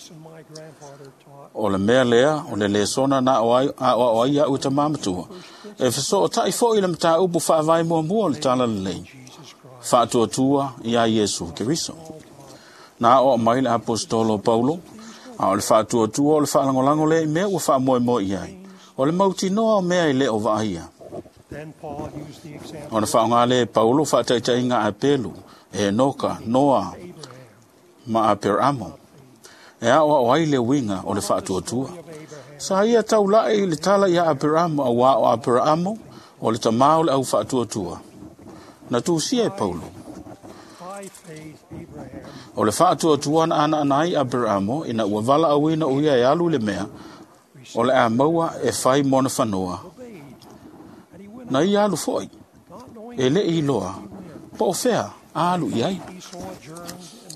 O le mea lea, o le lesona na aoao ai au e tamā matua, e fesootai foi le mataupu faavae muamua o le tala lelei, faatuatua ia Iesu Keriso. Na aoao mai le apostolo Paulo, a o le faatuatua o le faalagolago lea i mea ua faamoemoe i ai, o le mautinoa o mea e le o vaaia. Ona faaaoga lea e Paulo faataitaiga a Pelu, e Enoka, Noa ma Aperamo, e aoao ai le uiga o le faatuatua. Sa ia taulai i le tala ia Aperamo, auā o Aperamo o le tamā o le au faatuatua. Na tusia e Paulo. O le faatuatua na anaana ai Aperamo ina ua valaauina o ia e alu i le mea, o le a maua e fai mona fanua. Na ia alu foi, e le i loa, po o fea a alu i ai.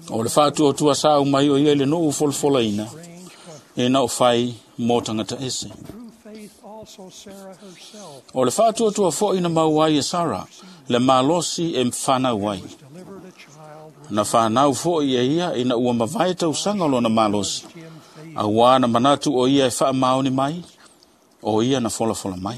O le faatuatua sa umai o ia i le nuu folafolaina, e na o fai mō tagata ese. O le faatuatua foi na mau ai e Sara, le malosi e whanau ai. Na whanau foi e ia ina ua mavae tausaga o lona malosi. Auā na manatu o ia e faamaoni mai, o ia na folafola mai.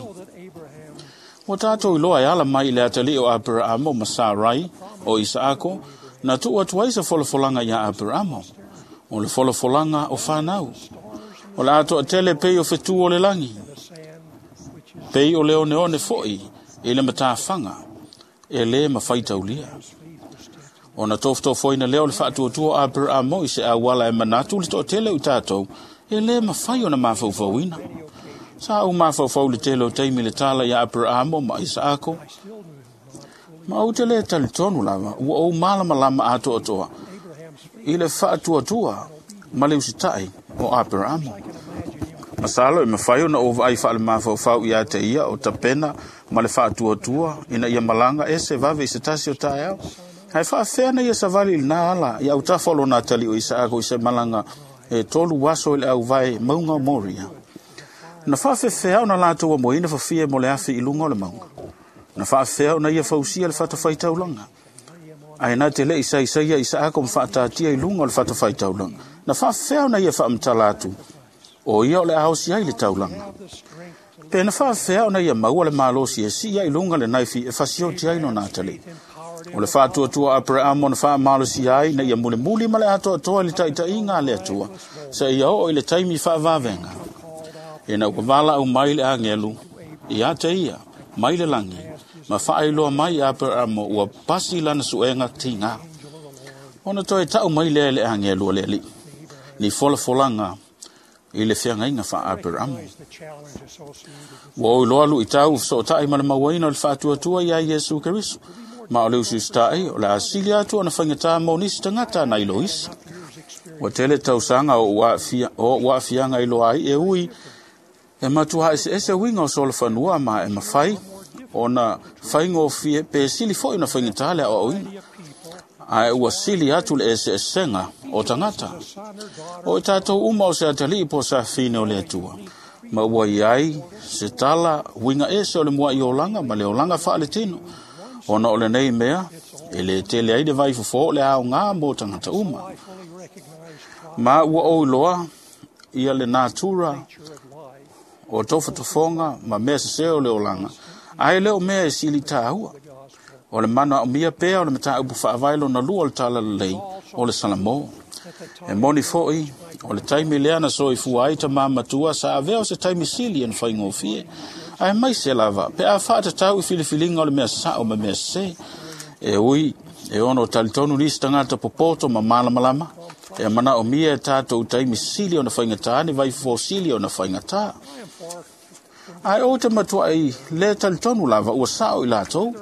Ua tātou iloa e ala mai i le atalii o Aperamo ma Sarai o Isaako, na tuu atu ai se folafolaga ia Aperamo, o le folafolaga o whanau. O le atoa tele pei o fetu o le lagi. Pei o le oneone fo'i i le matafaga e lē mafaitaulia. Ona tofotofoina lea o le faatuatua o Aperamo i se auala e manatu le toatele o i tatou e lē mafai ona mafaufauina. Sa ou mafaufau i le tele o taimi le tala ia Aperamo ma Isaako. Ma ou te lē talitonu lava ua ou malamalama atoatoa i le faatuatua ma le usitaʻi o Aperamo. Masalo e mafai ona ou vaai faale-mafaufau ia te ia o tapena ma le faatuatua ina ia malaga ese vave i se tasi o taeao. Ae faafefea na ia savali i lena ala i autafa o lona atalii o Isaako i se malaga e 3 aso i le auvae mauga o Moria. Na faafefea ona latou amoina fafie mo le afi i luga o le mauga. Na faafefea ona ia fausia le fatafaitaulaga. Ae na te leʻi saisaia Isaako ma faatatia i luga o le fatafaitaulaga. Na faafefea ona ia faamatala atu o ia o le aosi ai le taulaga. Pe na faafefea ona ia maua le malosi e sii ai i luga le naifi e fasioti ai lona atalii. O le faatuatua Aperamo na faamalosia ai ina ia mulimuli ma le atoatoa i le taitaiga a le Atua, seia oo i le taimi faavavega. Ina ua valaau mai le agelu ia te ia mai le lagi, ma faailoa mai i Aperamo ua pasi lana suega tiga. Ona toe tau mai lea e le agelu o le Alii, ni folafolaga i le feagaiga faa-Aperamo. Ua ou iloa luʻitau fesoʻotaʻi ma le mauaina o le faatuatua iā Iesu Keriso, ma o le usiusitaʻi o le a sili atu ona faigatā mo nisi tagata nai lo isi. Ua tele tausaga o ou aafiaga iloa ai e ui e matuā eseese uiga o solofanua ma e mafai ona faigofie pe sili foʻi ona faigatā le aoaoina. Ae ua sili atu le eseesega o tagata. O i tatou uma o se atalii po o safine o le Atua, ma ua iai se tala uiga ese o le muaʻi olaga ma le olaga faaletino. Ona o lenei mea, e lē tele ai le vaifofō o le aogā mo tagata uma. Ma ua ou iloa ia le natura o tofatofoga ma mea sesē o le olaga, ae le o mea e sili tāua. O le manaomia pea o le mataupu faavae lona lua o le talalelei o le Salamo. E moni foʻi o le taimi lea na soifua ai tamā matua sa avea o se taimi sili e na faigofie. Ae maise lava pe a faatatau i filifiliga o le mea saʻo ma mea sesē. E ui e ono talitonu nisi tagata popoto ma malamalama, e manaomia e tatou taimi sili ona faigatā ni vaifofo sili ona faigatā. Ae ou te matuaʻi lē talitonu lava ua saʻo i latou.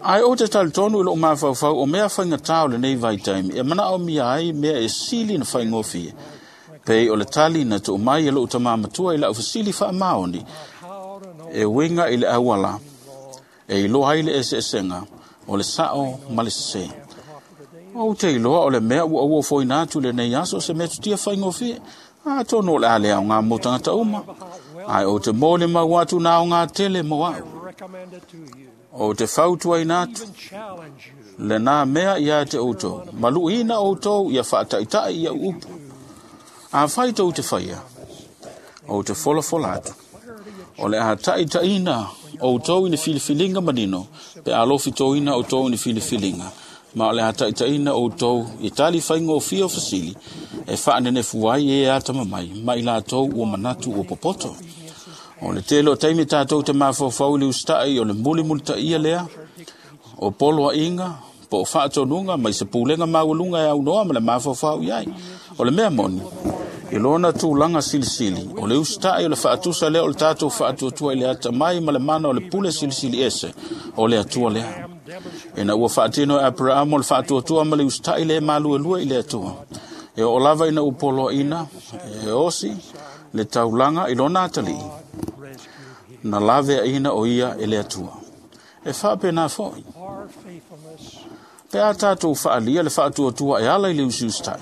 Ae ou te talitonu i lou mafaufau o mea faigatā o lenei vaitaimi e manaomia ai mea e sili na faigofie. Pei o le tali na tuu mai e lou tamā matua i lau fesili faamaoni e uiga i le auala e iloa ai le eseesega o le saʻo ma le sesē. Ou te iloa o le mea ua ou ofoina atu i lenei aso se metotia faigofie, atonu o le a le aogā mo tagata uma, ae ou te molimau atu na aogā tele mo aʻu. Ou te fautuaina atu lenā mea ia te outou, maluʻiina outou ia faataʻitaʻi ia upu. Afai tou te faia, ou te folafola atu. O le a taʻitaʻina outou i ni filifiliga manino, pe alofitoina outou i ni filifiliga, ma o le a taʻitaʻina outou i tali faigofie o fesili, e faanenefu ai e atamamai ma i latou ua manatu ua popoto. O le tele o taimi tatou te mafaufau i le usitaʻi o le mulimulitaia lea, o poloaʻiga po o faatonuga mai se pulega maualuga e aunoa ma le mafaufau i ai. O le mea moni, i lona tulaga silisili, o le usitaʻi o le faatusa lea o le tatou faatuatua i le atamai ma le mana o le pule silisili ese o le Atua lea. Ina ua faatino e Aperamo le faatuatua ma le usitaʻi le maluelue i le Atua. E oo lava ina ua poloaʻina e osi le taulaga i lona atalii, na laveaʻina o ia e le Atua. E faapena foʻi pe a tatou faalia le faatuatua e ala i le usiusitaʻi,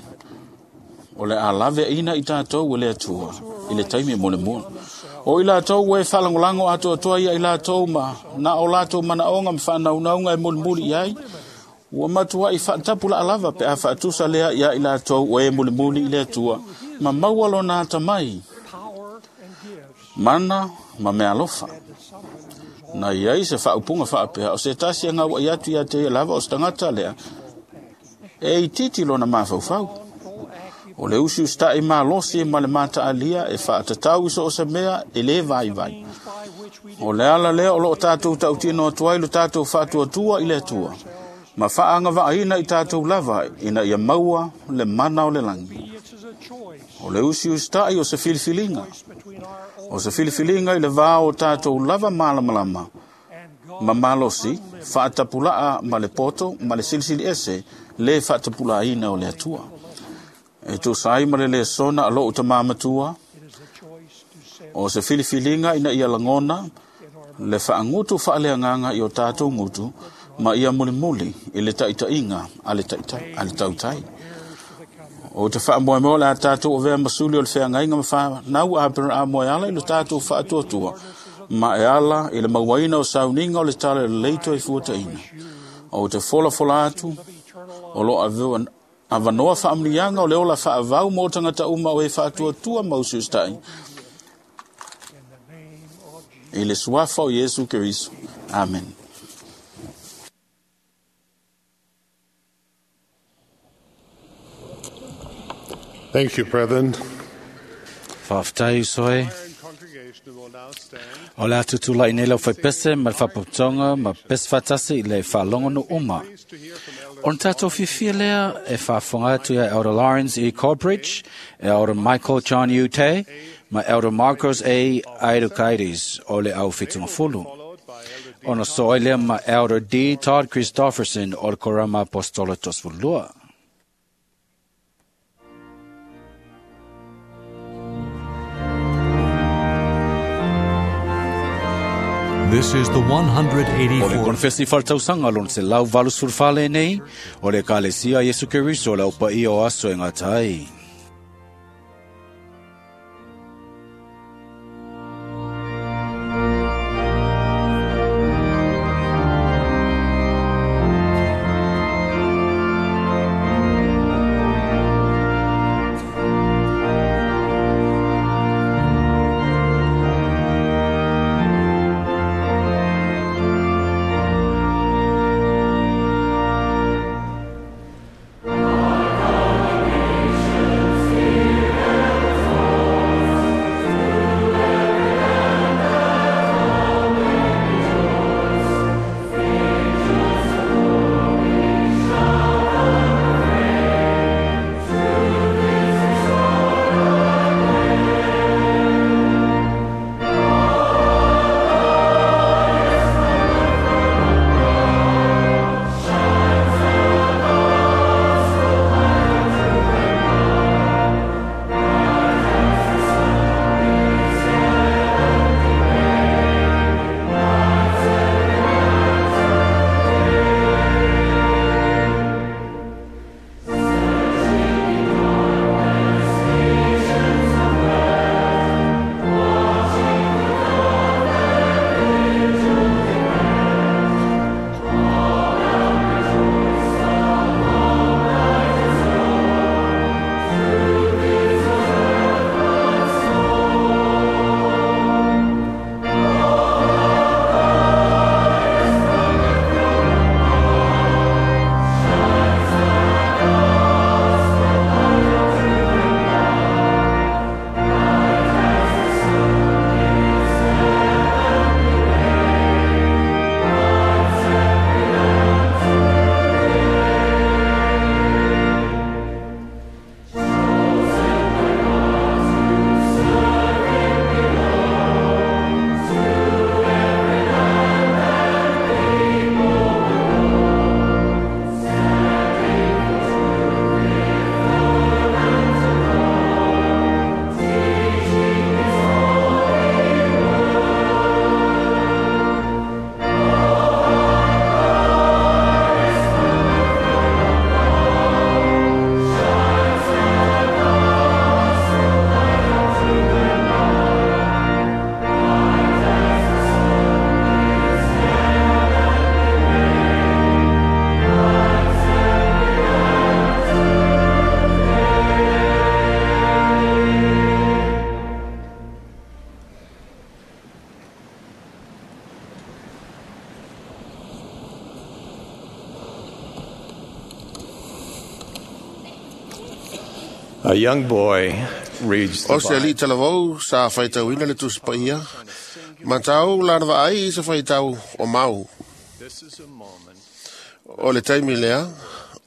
o le a laveaʻina i tatou e le Atua i le taimi mo le mua. O i latou ua e faalagolago atoatoa ia i latou ma na o latou manaoga ma faanaunauga e mulimuli i ai, ua matuaʻi faatapulaa lava pe a faatusa lea ia i latou ua e mulimuli i le Atua ma maua lona atamai, mana ma mealofa. Na iai se faaupuga faapea o se tasi e gauaʻi atu ia te ia lava o se tagata lea e itiiti lona mafaufau. O le usiusitaʻi malosi ma le mataalia e faatatau i so o se mea e lē vaivai. O le ala lea o loo tatou tautino atu ai lo tatou faatuatua i le Atua, ma faagavaaina i tatou lava ina ia maua le mana o le lagi. O le usiusitai o se filifiliga. O se filifiliga i le vā o tatou lava malamalama ma malosi, faatapulaa ma le poto ma le silisili ese le faatapulaaina o le Atua. E tusa ai ma le lesona a lou tamā matua, o se filifiliga ina ia lagona le faagutu faaleagaga i o tatou gutu ma ia mulimuli i le taitaiga a le tautai. O te faamoemoe o le a tatou avea ma suli o le feagaiga ma fanau a Aperamo e ala i lo tatou faatuatua ma e ala i le mauaina o sauniga o le tala lelei toefuataina. O te folafola atu o lo avanoa faamanuiaga o le ola faavau mo tagata uma o e faatuatua ma usiusitai i le suafa o Iesu Keriso. Amen. Thank you, brethren. Faafetai uso e. O le a tutulai nei lau faipese ma le faapotopotoga ma pese faatasi i le faalogo uma. O na tātou fiafia lea e faafofoga atu ia Elder Lawrence E. Corbridge, Elder Michael John U. Tay, ma Elder Marcos A. Aidukaitis o le au fitungafulu. Ona so ai lea ma Elder D. Todd Christofferson o le Korama Apostola Tosefululua. This is the 184th. O le konfesi faletausaga lona 184 lenei, o le Ekalesia Iesu Keriso o le aupaia o aso e gata ai. A young boy reads the O se Bible. alii talavou sa faitauina le tusi paia Matau lana vaai i se faitau o mau. O le taimi lea,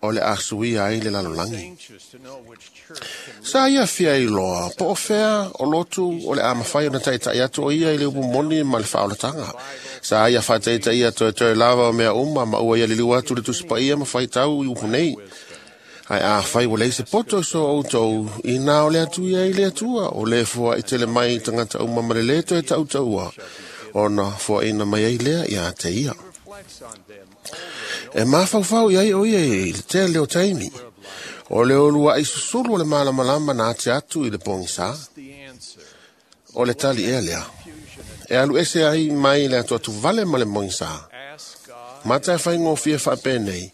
o le a suia ai le lalolagi. Sa ia fia iloa, po o fea o lotu o le a mawhai o na taitai atu o ia i le upu moni ma le whaolatanga. Sa ia whaataitai ia toe toe lava o mea uma ma ua ia liliu atu le tusipaia ma whaitau i upu nei. Ai a whai wa leise poto so outou i nā o le atu ia i le atua o le fua i tele mai tangata uma ma le le toe tautaua ona fua ina mai ai lea ia te ia. E mafaufau i ai o ia i le tele o taimi. O le olua i susulu o le malamalama na ate atu i le pogisa. O le tali ea lea. E alu ese ai mai le atu atu vale ma le pogisa. Mata e whaingofie whaapenei.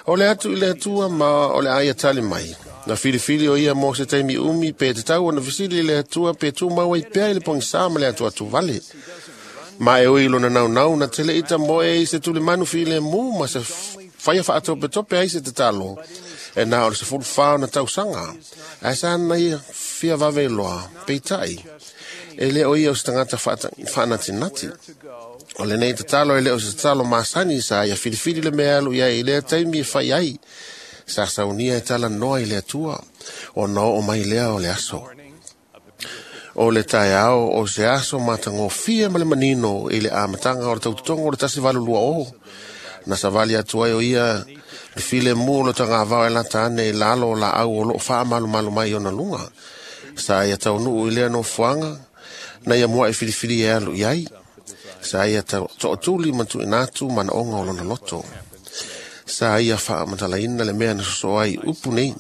O le atu i le atua ma o le aia tali mai. Na filifili o ia mo se taimi umi pe te tau ona fisili i le atua pe tū maua i pea i le pogisa ma le atu atu vale. Ma e oi lona nau nau na tele ita moe i se tule manu file mu ma se whaia whaatope tope ai se te talo. E nā o le se fulu whao na tausanga. Ai sa na ia fia vave loa, peitai. E le o ia o se tangata whaanatinati. O le nei te talo e le o se talo masani sa ia filifili le mea alu ia i lea taimi e whai ai. Sa saunia e tala noa i le atua. O nā o mai lea o le aso. O le taeao o se aso matagofie ma le manino i le amataga o le tautotoga o le 1820. Na savali atu ai o ia le file mu o le tagavao e lata ane i lalo o laau o loo faamalumalu mai ona luga. Sa ia taunuu i lea nofoaga na ia mua e filifili e alu i ai. Sa ia tootuli ma tuuina atu manaoga o lona loto. Sa ia faamatalaina le mea na sosoo ai upu nei.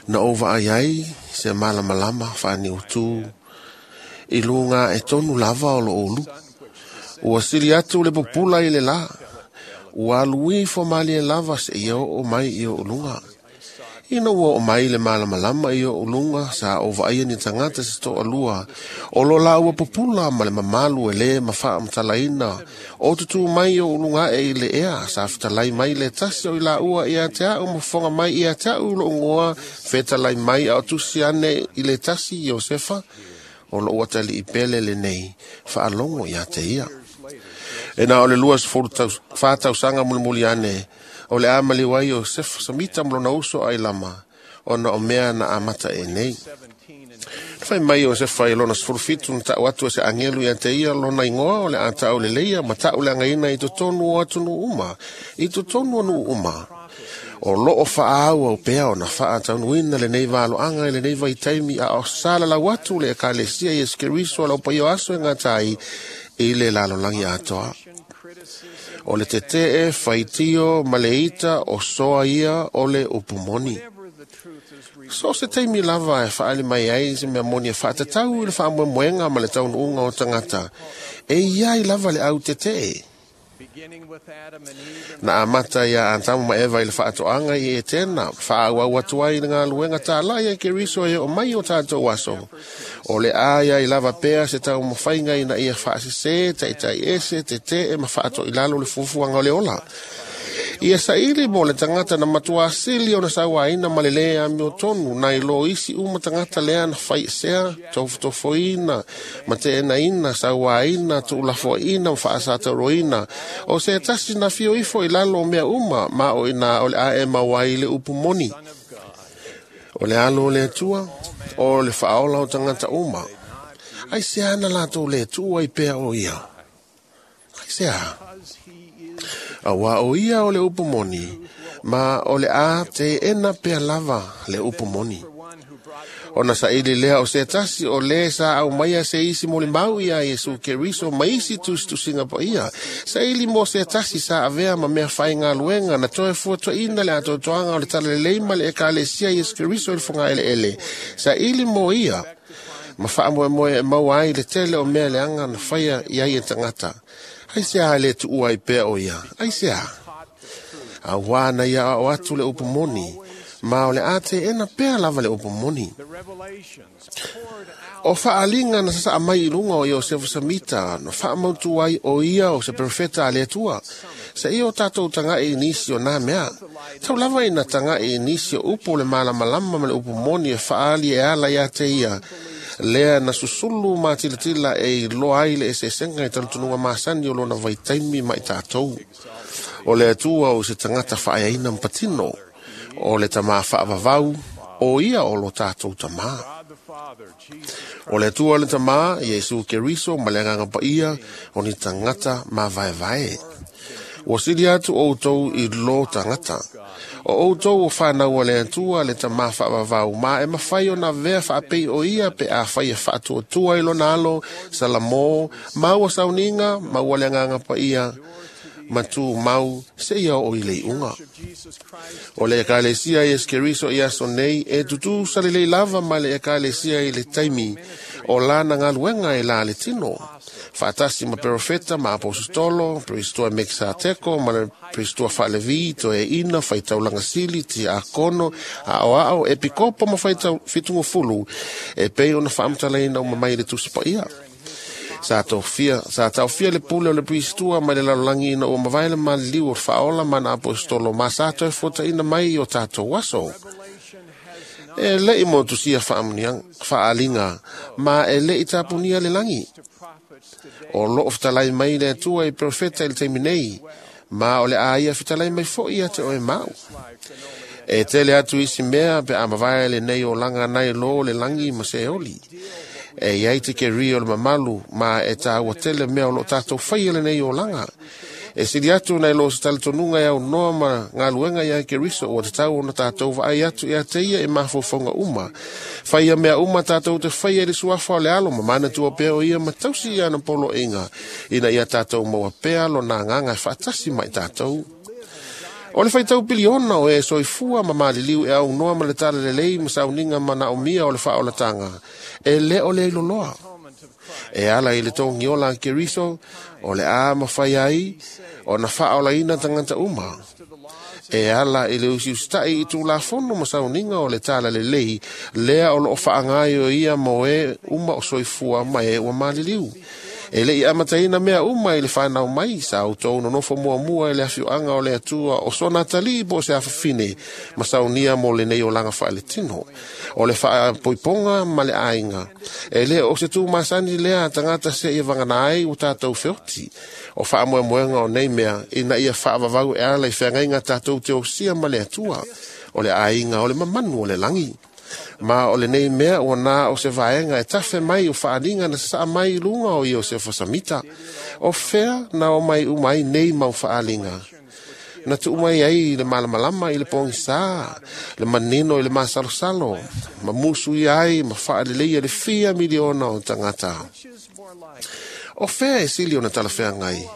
Na ou vaai ai se malamalama faaniutū i luga e tonu lava o loo ulu. Ua sili atu le pupula i le la. Ua alu ifo malie lava se ia oo mai i o luga. Ina ua oo mai le malamalama i o luga sa ou vaaia ni tagata se toalua. O lo la ua pupula ma le mamalu e lē ma faamatalaina. O tutū mai o luga e i le ea sa fetalai mai le tasi o i laua ia te au ma fofoga mai ia te au loo goa fetalai mai a o tusi ane i le tasi Iosefa o loo atalii pele lenei faalogo ia te ia. E na o le 24 tausaga mulimuli ane o le a maliu ai Iosefa Samita ma lona uso ai lama ona o mea na amata e nei. Na fai mai Iosefa i lona 17 na tau atu e se angelu ia te ia lona ingoa o le a tau leleia ma tau le againa i totonu o atunuu uma, i totonu o nuu uma. O loo faaau au pea o na faataunuina lenei valoaga i lenei vaitaimi a o salalau atu le ekalesia Iesu Keriso a lau paia o aso e gata ai i le lalolagi atoa. O le tetee faitio ma le ita o soa ia o le upu moni. So se taimi lava e whaali mai ai se mea moni e whaatatau i le whaamoemoenga ma le taunuunga o tangata. E iai lava le au tetee. Na amata ia Atamu ma Eva i le whaatoanga i e tēnā, whaauau atu ai le ngā tāla ia Keriso e o mai o tātou aso. O le aia i lava pea se tau mawhainga ina ia whaasese, taitai ese, te te e ma whaato i lalo le fufuanga o le ola. Ia saili mo le tangata na matua asili o na sauaina ma le lea amio tonu, na ilo isi uma tangata lea na whaisea, tofotofoina, ma te enaina, sauaina, tuulafoaina, ma faasatauroina. O se tasi na fio ifo i lalo o mea uma, ma o ina o le ae mauai le upu moni. O le alo o le atua, o le whaola o tangata uma. Ai se ana lātou le atua i pea o ia. Ai se a. Aua o ia o le upu moni, ma o le a te ena pea lava le upu moni. Ona saili lea o se tasi o le sa au maia se isi mo le mau ia Iesu Keriso ma isi tusitusiga paia. Saili mo se tasi sa avea ma mea whaingaluenga na toe fuatoina le atoatoaga o le talalelei ma le ekalesia Iesu Keriso i le fogaeleele. Saili mo ia ma faamoemoe e maua ai le tele o mea leaga na faia i ai e tagata. Ai se a le tuua ai pea o ia, ai se a. Auā na ia ao atu le upu moni, ma o le a te ena pea lava le upu moni. O faalinga na sasaa mai i luga o Iosefa Samita, na faamautu ai o ia o se profeta a le Atua. Sa ia o tātou taga'i i nisi o nā mea. Tau lava ina taga'i i nisi o upu o le malamalama ma le upu moni e faali e ala ia te ia. Lea na susulu ma tilatila e iloa ai le eseesega i talitonuga masani o lona vaitaimi ma i tatou. O le Atua o se tagata faaeaina ma patino, o le tamā faavavau, o ia o lo tatou tamā. O le Atua le tamā, Iesu Keriso ma le agaga paia, o ni tagata mavaevae. Ua sili atu outou i lo tagata. O outou o whanau o le Atua le tamā faavavau, ma e mawhai o na vea whaapei o ia pe a whai e whaatuatua i lona alo, Salamo, maua sauniga, maua le agaga paia, matu mau, se ia o i le iuga. O le ekalesia Iesu Keriso i aso nei, e tutu salelei lava ma le ekalesia i le taimi o lana galuega e la le tino. Faatasi ma perofeta ma apositolo, perisitoa Mekisateko ma le perisitoa Faalevi, toeaina, faitaulaga sili, tiakono, aoao, epikopo ma fitugofulu, e pei ona faamatalaina uma mai le Tusi Paia. Sa taofia le pule o le perisitoa mai le lalolagi ina ua mavae le maliliu o le faaola ma na apositolo ma sa toe fuataina mai i o tatou aso. E le'i motusia faaaliga ma e le'i tapunia le lagi. O loo fetalai mai le Atua i perofeta i le taimi nei, ma o le a ia fetalai mai fo'i ia te oe mau. E tele atu isi mea pe a mavae lenei olaga nai lo le lagi ma seoli. E iai te keri o le mamalu ma e tāua tele mea o loo tatou faia lenei olaga. E sili atu nai lo se talitonuga e aunoa ma galuega ia Keriso ua tatau ona tatou vaai atu ia te ia e mafaufauga uma. Faia mea uma tatou te faia i le suafa o le alo ma manatua pea o ia ma tausi ia ana poloaiga, ina ia tatou maua pea lona agaga e faatasi ma i tatou. O le faitau piliona o e soifua ma maliliu e aunoa ma le talalelei ma sauniga manaomia o le faaolataga, e le o le iloloa. E ala i le togiola a Keriso, o le a mawhai ai, o na faaolaina tagata uma. E ala i le usiusitai i tulafono ma sauniga o le talalelei, lea o loo faaagai o ia mo e uma o soifua ma e ua maliliu. E le'i amataina mea uma i le whanau mai, sa outou nonofo muamua i le afioaga o le Atua o sona atalii po o se afafine, ma saunia mo lenei olaga faaletino. O le faapoipoga ma le aiga. E le o se tūmasani lea a tagata se ia vagana ai ua tatou feoti. O faamoemoega o nei mea, ina ia faavavau e ala i feagaiga tatou te osia ma le Atua. O le aiga o le mamanu o le lagi. Ma o lenei mea ua na o se vaega e tafe mai o faaliga na sasaa mai i luga o Iosefa Samita. O fea na o mai uma ai nei mau faaliga. Na tuu mai ai le malamalama i le pogisā, le manino i le masalosalo, ma musu ia ai ma faaleleia le fia miliona o tagata. O fea e sili ona talafeagai.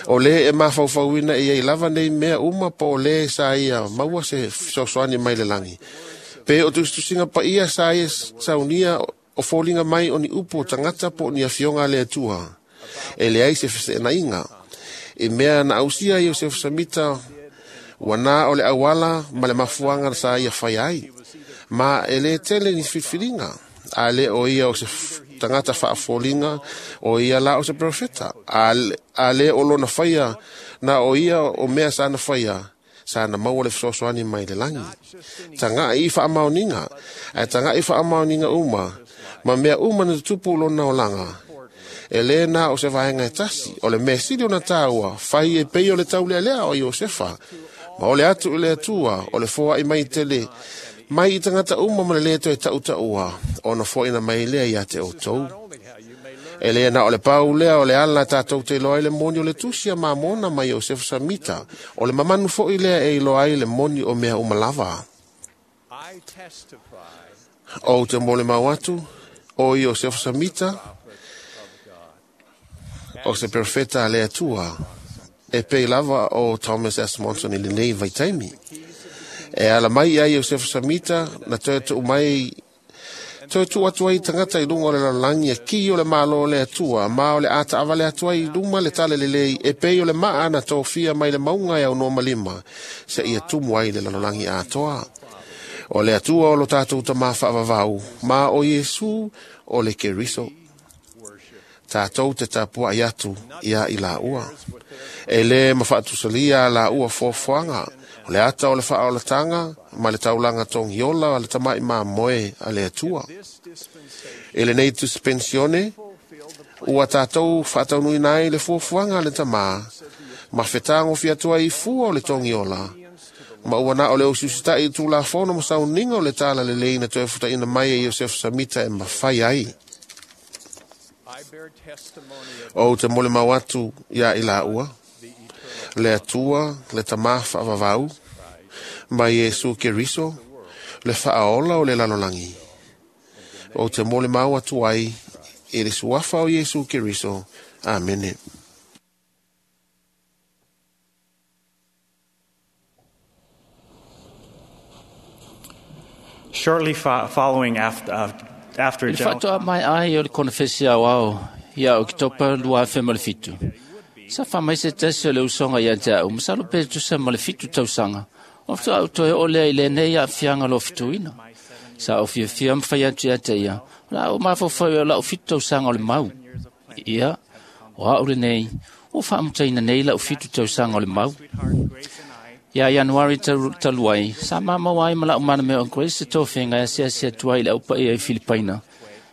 O le e mafaufauina e iai lava nei mea uma po o le sa ia maua se fesoasoani mai le lagi. Pe o tusitusiga paia sa ia saunia o foliga mai o ni upu o tagata po o ni afioga a le Atua. E leai se feseenaiga. I mea na ausia Iosefa Samita, ua na o le auala ma le mafuaga sa ia fai ai. Ma e le tele ni filifiliga. A le o ia o se tagata faafoliga, o ia la o se profeta. A le o lona faia, na o ia o mea sa na faia, sa na maua le fesoasoani mai le lagi. Taga'i i faamaoniga, ae taga'i faamaoniga uma, ma mea uma na tutupu lona olaga. E le na o se vaega e tasi, o le mea sili ona tāua, fai e pei o le taulealea o Iosefa. Ma o le atu i le Atua, o le foai mai tele, mai i tagata uma ma le le toe tautaua, ona foaina mai lea ia te outou. E le na o le pau lea o le ala tatou te iloa ai le moni o le tusi a Mamona ma Iosefa Samita, o le mamanu fo'i lea e iloa ai le moni o mea uma lava. Ou te molimau atu, o Iosefa Samita, o se profeta a le Atua, e pei lava o Thomas S. Monson i lenei vaitaimi. E ala mai ia Iosefa Samita, na toe tuu mai toe tuu atu ai tagata i luga o le lalolagi e ki o le malo o le Atua, ma o le a taavale atu ai i luma le talalelei e pei o le maa na tofia mai le mauga e aunoa ma lima, se ia tumu ai le lalolagi atoa. O le Atua o lo tatou tamā faavavau, ma o Iesu o le Keriso. Tatou te tapuai atu ia i laua. E le mafaatusalia a laua foafoaga, o le ata o le faaolataga ma le taulaga togiola o le tama'i mamoe a le Atua. E lenei dispensione, ua tātou whaataunuina ai le fuafuaga a le tamā, ma fetagofi atu ai i fua o le togiola, ma ua na o le usiusitaʻi i tulafono ma sauniga o le tala lelei na toe futaʻina mai e Iosefu Samita e mafai ai. Ou te molimau atu iā i laua, le Atua, le Tamā faavavau, ma Iesu Keriso, le faaola o le lalolagi. Ou te molimau atu ai i le suafa o Iesu Keriso. Amene. Shortly following after I le faatoa mai ai o le konefesi aoao ia Oketopa 2007. Sa faamai se tasi o le usoga ia te a'u, masalo pe tusa ma le 7 tausaga, o faatoa au toe oo lea i lenei aafiaga lofituina. Sa ou fiafia ma fai atu ia te ia, o le a ou mafaufau o la'u 7 tausaga o le mau. Ia, o a'u lenei, ua faamutaina nei la'u 7 tausaga o le mau. Ia Ianuari talu ai, sa mamau ai ma la'u manamea o Grace se tofiga e asiasi atu ai i le aupaia i Filipaina.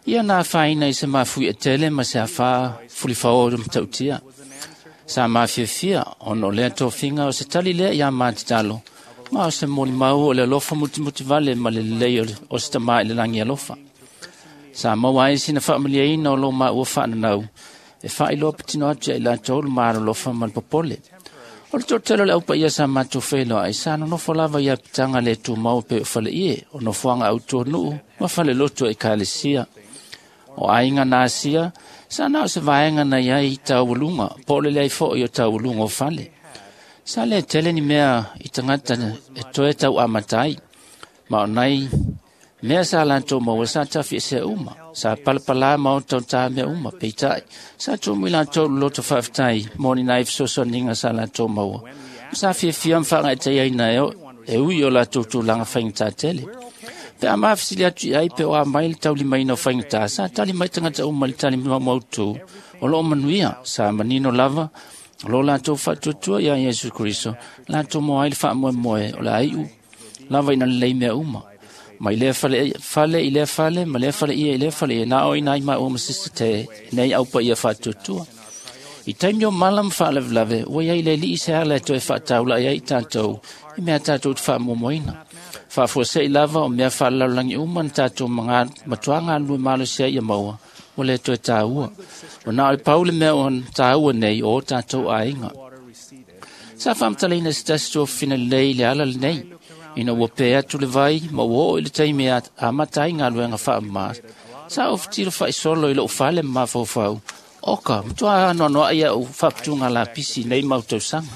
Ia na afaina i se mafuie tele ma se afā fulifaō matautia. Sa mafiafia ona o lea tofiga o se tali lea iā matatalo, ma o se molimau o le alofa mutimutivale ma le lelei o se tamā i le lagi alofa. Sa maua ai sina faamaliaina o lo maua faananau, e faailoa patino atu ia i latou le malolofa ma le popole. O le toatele o le aupaia sa matou feiloai sa nonofo lava i apitaga le tumau pe o faleie, o nofoaga autuanuu ma falelotu e ekalesia. O aiga na asia, sa na o se vaega na iai i taualuga, po o le leai foʻi o taualuga o fale. Sa le tele ni mea i tagata e toe tauamata ai, ma o nai mea sa latou maua sa tafiesea uma, sa palapalā ma o tautā mea uma, peitai, sa tumu i latou le loto faafetai mo ni nai fesoasoaniga sa latou maua, ma sa fiafia ma faagaetaiaina e ui o latou tulaga faigata tele. Pe a mafesili atu i ai pe o a mai le taulimaina o faigata, sa tali mai tagata uma i le tali maumautu o loo manuia, sa manino lava o lo latou faatuatua iā Iesu Keriso, latou moa ai le faamoemoe o le aiʻu lava ina lelei mea uma. Mai lea fale i lea fale, ma lea fale ia i lea fale ia, na o ina ai maua ma sisi te nei aupa ia faatuatua. I taimi o mala ma faalavelave, ua iai le alii se ala e toe faataulaʻi ai i tatou, i mea tatou te faamuamuaina. Faafuasei lava o mea faalelalolagi uma na tatou matuā galulue malosi ai ia maua, ua le toe tāua. O na o le pau le mea o tāua nei o tatou aiga. Sa faamatalaina se tasi tuafafine lelei i le ala lenei, ina ua pē atu le vai ma ua oo i le taimi e amata ai galuega faamamā, sa ou fetilo faisolo i lou fale ma mafaufau, oka, matuā anoanoai a'u faaputuga lapisi i nei mau tausaga.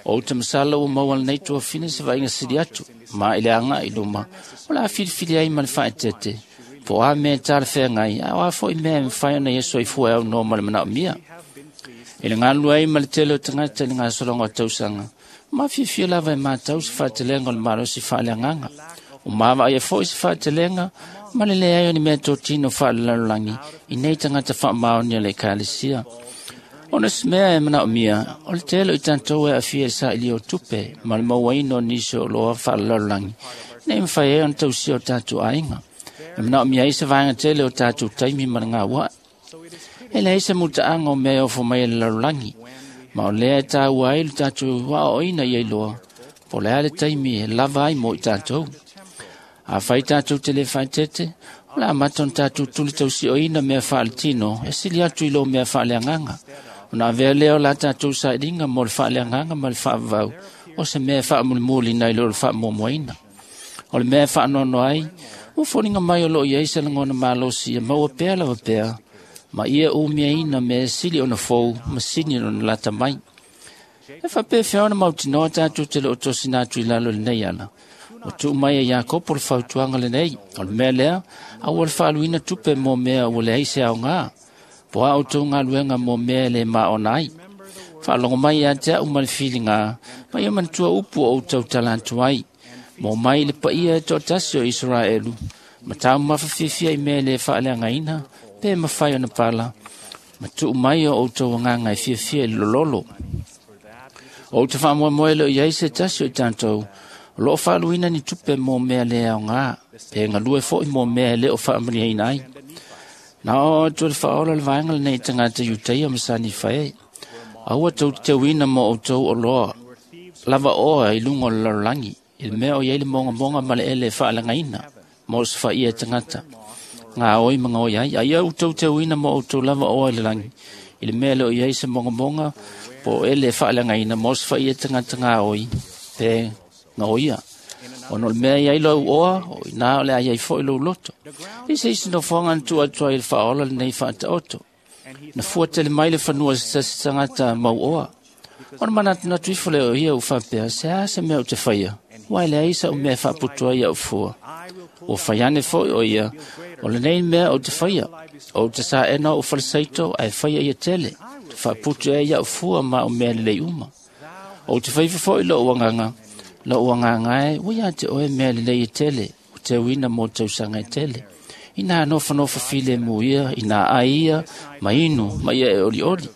O ou te masalo ua maua lenei tuafafine se vaaiga sili atu, ma i le agaʻi i luma, o le a filifili ai ma le faaeteete, po o a mea e talafeagai, a o a foʻi mea e mafai ona ia soifua e aunoa ma le manaomia. I le galulue ai ma le tele o tagata i le gasologa o tausaga, mafiafia lava e matau se faatelega o le malosi faaleagaga. O mavaaia foʻi se faatelega ma le leai o ni mea totino faalelalolagi i nei tagata faamaoni o le ekalesia. Ona se mea e manaomia, o le tele o i tatou e aafia i saʻilia o tupe ma le mauaina o nisi o oloa faalelalolagi, nei mafai ai ona tausia o tatou aiga. E manaomia ai se vaega tele o tatou taimi ma le gauaʻi. E leai se mutaaga o mea e ofo mai e le lalolagi, ma o lea e tāua ai le tatou aoaoina ia iloa, po o le a le taimi e lava ai mo i tatou. Afai tatou te le faaeteete, o le amata ona tatou tuli tausioina mea faaletino e sili atu i lo mea faaleagaga. Ona avea lea o la tatou sailiga mo le faaleagaga ma le faavavau, o se mea e faamulimulina i lo le faamuamuaina. O le mea e faanoanoa ai, ua foliga mai o loo iai se lagona malosi e maua pea lava pea, ma ia umiaina mea e sili ona fou ma sini ona lata mai. E faapefea ona mautinoa tatou te loo tosina atu i lalo i lenei ala. Ua tuu mai e Iakopo le fautuaga lenei, o le mea lea, aua le faaluina tupe mo mea ua leai se aogā, po a outou galuega mo mea e le maona ai. Faalogo mai ia te a'u ma le filigā, ma ia manatua upu o ou tautala atu ai. Mo mai le paia e toatasi o Isaraelu, ma taumafa fiafia i mea e le faaleagaina, pe mafai ona pala, ma tuu mai o outou agaga e fiafia i le lololo. O ou te faamoemoe le o iai se tasi o i tatou, o loo faaluina ni tupe mo mea le aogā. Pe galue fo'i mo mea e lē o faamaliaina ai. Na oo atu e le Faaola le vaega lenei i tagata Iutaia ma Sanifa e. Aua tou te teuina mo outou oloa lava oa i luga o le lalolagi, i le mea o i ai le mogamoga ma le ele e faaleagaina mo se faia e tagata gaoi ma gaoi ai. A ia outou teuina mo outou lava oa i le lagi, i le mea e le o i ai se mogamoga po o ele e faaleagaina mo se faia e tagata gaoi pe gaoia. Ona o le mea i ai lou oa, o ina o le a i ai fo'i lou loto. I se isi nofoaga na tuu atu ai le Faaola lenei faataoto. Na fua tele mai le fanua se tasi tagata mauoa. Ona manatunatu ifo lea o ia ua faapea, se a se mea ou te faia, ua e leai sa'u mea e faaputu ai a'u fua. Ua fai ane fo'i o ia, o lenei mea ou te faia, ou te saena o'u falesaito ae faia ia tele, te faaputu ai a'u fua ma a'u mea lelei uma. Ou te faifa fo'i lo'u agaga, lo'u agaga e, ua ia te oe mea lelei e tele, ua teuina mo tausaga e tele. Ina nofonofo filemu ia, ina ai ia, ma inu, ma ia e olioli.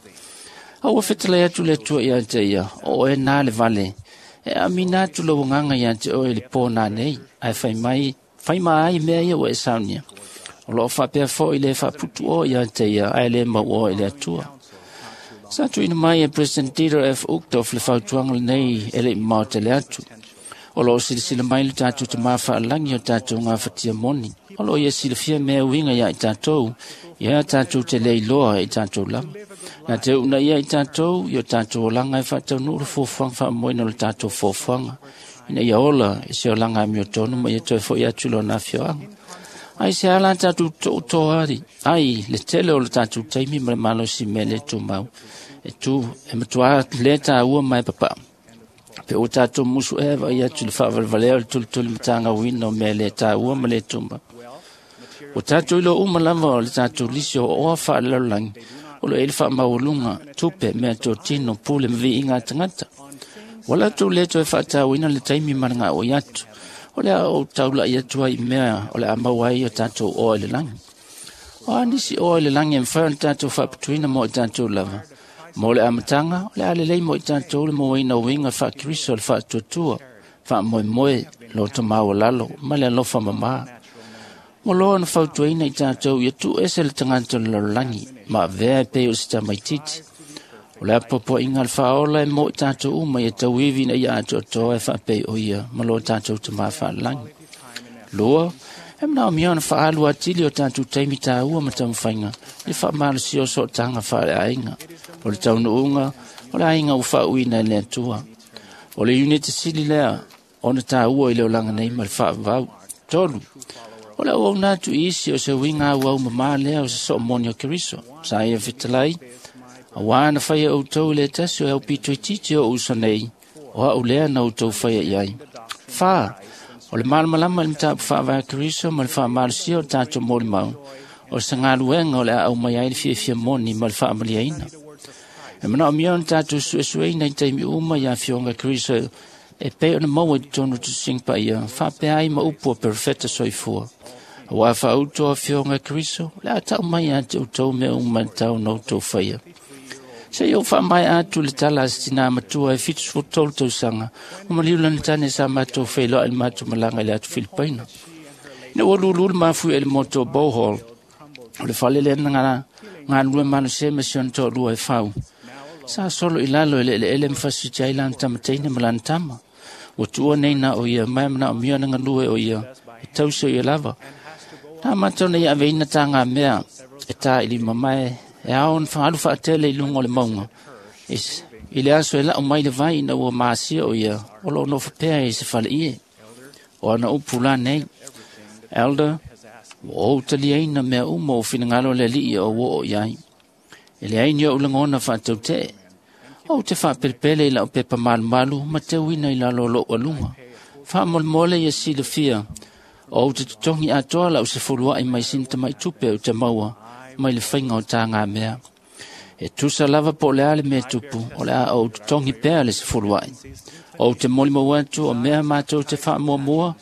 A ua fetalai atu le Atua ia te ia, o oe nā le vale, e amina atu lou agaga ia te oe i le pō nanei, ae fai mai, fai ma ai mea ia ua e saunia. O loo faapea fo'i le faaputu oe ia te ia, ae le mau oe i le Atua. Sa tuuina mai e President Dieter F. Uchtdorf le fautuaga lenei e le'i mamao tele atu. O loo silasila mai le tatou Tamā faalagi o tatou gafatia moni. O loo ia silafia mea uiga iā i tatou, ia tatou te le iloa i tatou lava. Na te uuna ia i tatou, i o tatou olaga e faataunuu le fuafuaga faamoemoeina o le tatou foafoaga, ina ia ola i se olaga amiotonu ma ia toe fo'i atu i lona afioaga. Ai se ala tatou toutoa ai le tele o le tatou taimi ma le malosi mea le tumau, e tu e matuā le tāua ma e papaa. Pe ua tatou musu ea vaai atu i le faavalevalea o le tulituli matagauina o mea le tāua ma le tumau. Ua tatou iloa uma lava o le tatou lisi o oa faalelalolagi, o lo o i ai le faamaualuga, tupe, mea totino, pule ma viiga a tagata. Ua latou le toe faatauina le taimi ma le gaoi atu, o le a ou taula'i atu ai i mea o le a maua ai o tatou oa i le lagi. O a nisi oa i le lagi e mafai ona tatou faaputuina mo i tatou lava. Mo le amataga, o le a lelei mo i tatou le mauaina o uiga faa-Keriso o le faatuatua, faamoemoe, loto maualalo ma le alofa mamā. Ua loa ona fautuaina i tatou ia tuuese le tagata o le lalolagi ma avea e pei o se tamaitiiti. O le apoapoaiga a le Faaola e mo i tatou uma ia tauivi ina ia atoatoa e faapei o ia ma lo tatou Tamā faalagi. Lua, e manaomia ona faaalu atili o tatou taimi tāua ma taumafaiga i le faamalosia o sootaga faaleaiga, o le taunuuga o le aiga ua faauuina e le Atua. O le iunite sili lea ona tāua i le olaga nei ma le faavavau. Tolu, o le auauna atu i isi o se uiga auau mamā lea o se soomoni o Keriso. Sa ia fetalai, auā na faia outou i le tasi o e aupitoititi o uso nei, o a'u lea na outou faia i ai. Fā, o le malamalama i le mataupu faavae a Keriso ma le faamalosia o tatou molimau, o se galuega o le a aumai ai le fiafia moni ma le faamaliaina. E manaomia ona tatou suesueina i taimi uma i afioga Keriso e pei ona maua i totonu o tusiga paia, faapea ai ma upu a perofeta soifua. Auā faauto afioga Keriso, o le a tau mai ia te outou mea uma e tatau ona outou faia. Se i ou faamaea atu le tala a se tinā matua e 73 tausaga, ua maliu lana tane sa matou feiloai i le matou malaga i le atu Filipaina. Ina ua lulu le mafuie i le motu o Bohol, o le fale lea na galulue malosi ai ma si ona toalua e fau. Sa solo i lalo i le eleele ma fasiti ai lana tamateine ma lana tama. Ua tuua nei na o ia, ma e manaomia ona galue o ia, e tausi o ia lava. Na amata ona ia aveina tāgā mea e tā i lima mae e ao ona faalu faatele i luga o le mauga. I le aso e lau mai le vai ina ua masia o ia, o loo nofo pea i se faleie. O ana upu la nei, Elder, ua ou taliaina mea uma o finagalo le Alii o ua oo i ai. E leai ni ou lagona faatautee. Ou te faapelepele i lau pepa malumalu ma teuina i lalo o lou aluga. Faamolemole ia silafia, o ou te totogi atoa lau sefuluai mai sina tamaitupe ou te maua mai le faiga o tāgā mea. E tusa lava po o le a le mea tupu, o le a ou totogi pea le sefuluai. Ou te molimau atu o mea matou te faamuamua,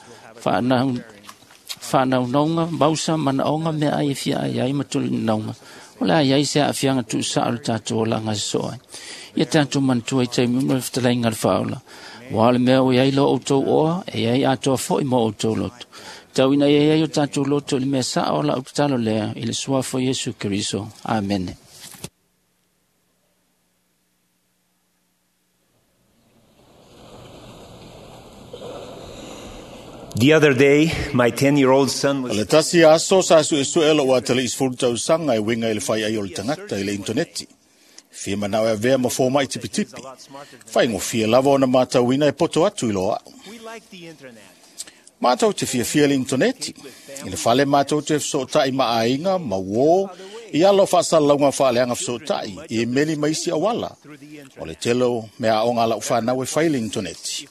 faanaunauga, mausa, manaoga, mea ai e fia ai ai ma tulinauga. O le a iai se aafiaga tuusaʻo le tatou olaga sosoo ai. Ia tatou manatua i taimi uma le fetalaiga a le Faaola. Ua o le mea ua iai lo outou oa, e iai atoa fo'i mo outou loto. Tau ina ia ai o tātou loto i le mea sao o lau tatalo lea i le suafa o Iesu Keriso. Amene. The other day, my 10-year-old son was... O le tasi aso sa suesue lou atali'i sefulu tausaga e uiga i le faiai o le tagata i le intoneti. Fia manao e avea ma fomaʻi tipitipi. Faigofie lava ona matauina e poto atu i lo a'u. Matou te fiafia i le intoneti. I le fale matou te fesootaʻi ma aiga ma uō i ala o faasalalauga faaleaga fesootaʻi i imeli ma isi auala. O le tele o meaaoga a lau fanau e fai i le intoneti.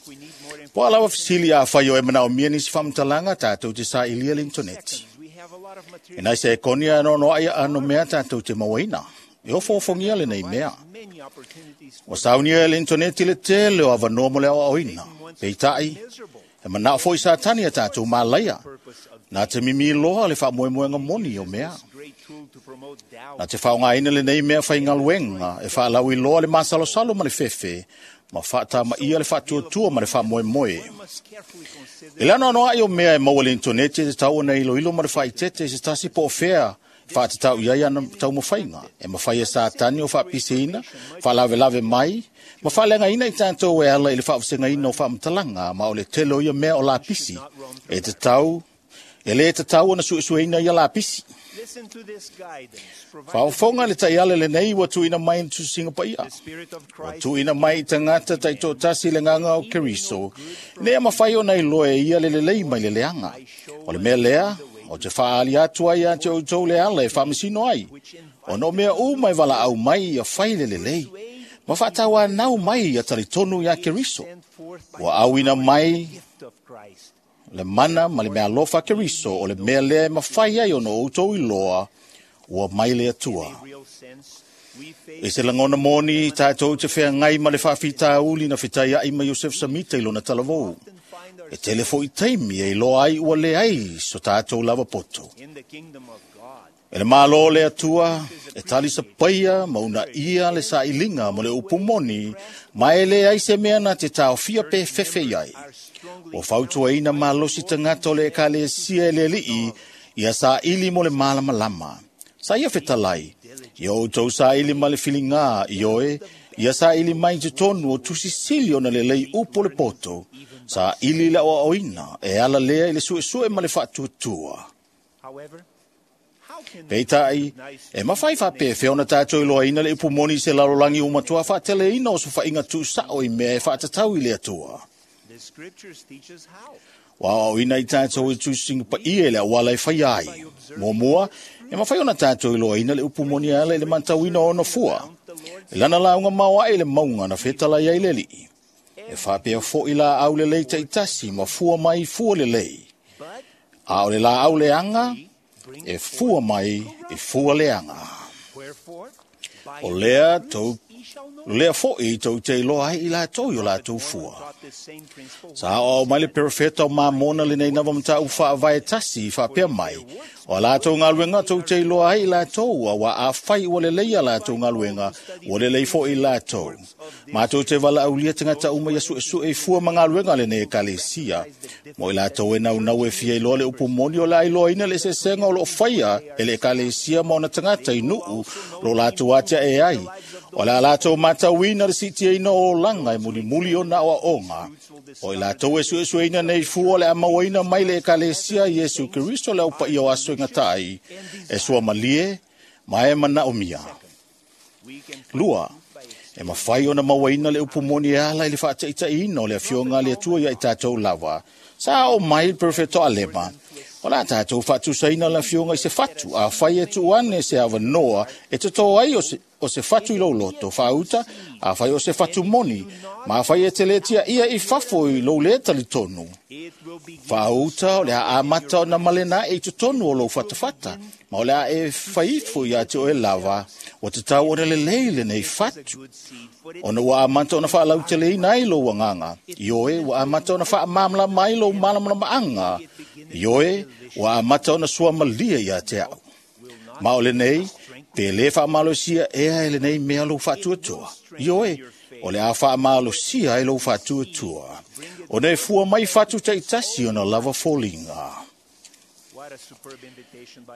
Po a lava fesili afai o e manaomia nisi faamatalaga tatou te saʻilia le intoneti. E nai se ekoni a noanoaʻi aano mea tatou te mauaina. E ofoofogia lenei mea. Ua saunia e le intoneti le tele o avanoa mo le aoaoina. Peitaʻi, e manao foʻi Satani ia tatou malaia. Na te mimi loa le faamoemoega moni o mea. Na te faaaogaina lenei mea faigaluega e faalauiloa le masalosalo ma le fefe ma faatamaia le faatuatua ma le faamoemoe. E le anoanoaʻi o mea e maua i le intoneti e tatau ona iloilo ma le faaeteete i se tasi po o fea faatatau i ai ana taumafaiga e mafai e Satani o faapiseina, faalavelave mai, ma faaleagaina i tatou e ala i le faavasegaina o faamatalaga ma o le tele o ia mea o lapisi e tatau e lē tatau ona suesueina ia lapisi. Faaofoga le taiala lenei ua tuuina mai i le Tusiga Paia. Ua tuuina mai i tagata taitoatasi le agaga o Keriso, ina ia mafai ona iloa e ia le lelei mai le leaga. O le mea lea, o te faaali atu ai ia te outou le ala e faamasino ai, ona o mea uma e valaau mai ia fai le lelei, ma faatauanau mai ia talitonu iā Keriso. Ua auina mai le mana ma le meaalofa a Keriso o le mea lea e mafai ai ona outou iloa ua mai le Atua. I se lagona moni, tatou te feagai ma le faafitauli na fetaiaʻi ma Iosefa Samita i lona talavou. E tele foʻi taimi e iloa ai ua leai so tatou lava poto. E le Malo le Atua, e talisapaia ma uunaia le saʻiliga mo le upu moni, ma e leai se mea na te taofia pe fefe i ai. Ua fautuaina malosi tagata o le Ekalesia e le Alii ia saʻili mo le malamalama. Sa ia fetalai, ia outou saʻili ma le filigā ioe, ia saʻili mai i totonu o tusi sili ona lelei upu o le poto, saʻili i le aoaoina e ala lea i le suesue ma le faatuatua. Peitaʻi, e mafai faapefea ona tatou iloaina le upu moni i se lalolagi ua matua faateleina o sofaʻiga tuusaʻo i mea e faatatau i le Atua. Ua aoaoina i tatou e Tusiga Paia i le auala e faia ai. Muamua, e mafai ona tatou iloaina le upu moni e ala i le matauina o ona fua. I lana lauga maoaʻe i le mauga na fetalai ai le Alii, e faapea foʻi laau lelei taitasi ma fua mai i fua lelei. A o le laau leaga, e fua mai i fua leaga. O lea tou lea foʻi tou te iloa ai i latou i o latou fua. Sa aoao mai le perofeta o Mamona lenei lava mataupu faavae tasi i faapea mai, o a latou galuega tou te iloa ai i latou, auā afai ua lelei a latou galuega, ua lelei foʻi i latou. Matou te valaaulia tagata uma ia suesue i fua ma galuega a lenei Ekalesia. Mo i latou e naunau e fia iloa le upu moni o le a iloaina le eseesega o loo faia e le Ekalesia ma ona tagata i nuu lo latou atiae ai. O le a latou matauina le siitiaina o olaga e mulimuli ona aoaoga. O i latou e suesueina nei fua o le a mauaina mai le Ekalesia Iesu Keriso le aupaia o aso e gata ai, e suamalie ma e manaomia. Lua, e mafai ona mauaina le upu moni e ala i le faataitaiina o le Afioga a le Atua ia i tatou lava. Sa oo mai le perofeta o Alema, o le a tatou faatusaina le Afioga i se fatu, afai e tuu ane se avanoa e totō ai o se fatu i lou loto, faauta, afai o se fatu moni, ma afai e te le tiaia i fafo i lou lē talitonu. Faauta o le a amata ona malena aʻe i totonu o lou fatafata, ma o le a e faifo ia te oe lava, ua tatau ona lelei lenei fatu. Ona ua amata ona faalauteleina ai lou agaga, ioe, ua amata ona faamalamalama ai lou malamalamaaga, ioe, ua amata ona suamalie ia te au. Ma o lenei, pe lē faamalosia ea e lenei mea lou faatuatua. Ioe, o le a faamalosia ai lou faatuatua. Ona e fua mai fatu taitasi ona lava foliga.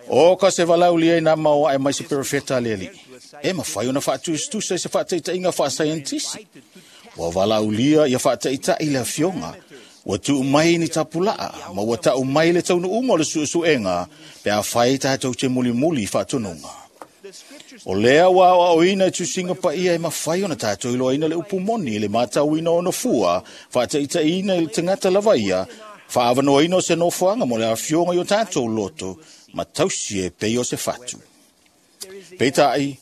O ka se valaulia i nā maoa e mai se perofeta le alii. E mawhai ona whaatusitusa i se whaataitaiga whaasaientisi. Ua valaulia ia whaataitai le afioga. Ua tuu mai ni tapulaa, ma ua tau mai le taunuunga o le suesuega, pe a whai tātou te mulimuli i whaatonunga. O lea ua aoaoina i tusinga paia e mawhai ona tātou iloaina le upu moni le mātauina ona fua, whaataitaiina i le tangata lava ia, whaawanoaina o se nofoanga mo le afioga i o tātou loto, ma tausi e pei o se fatu. Peitai,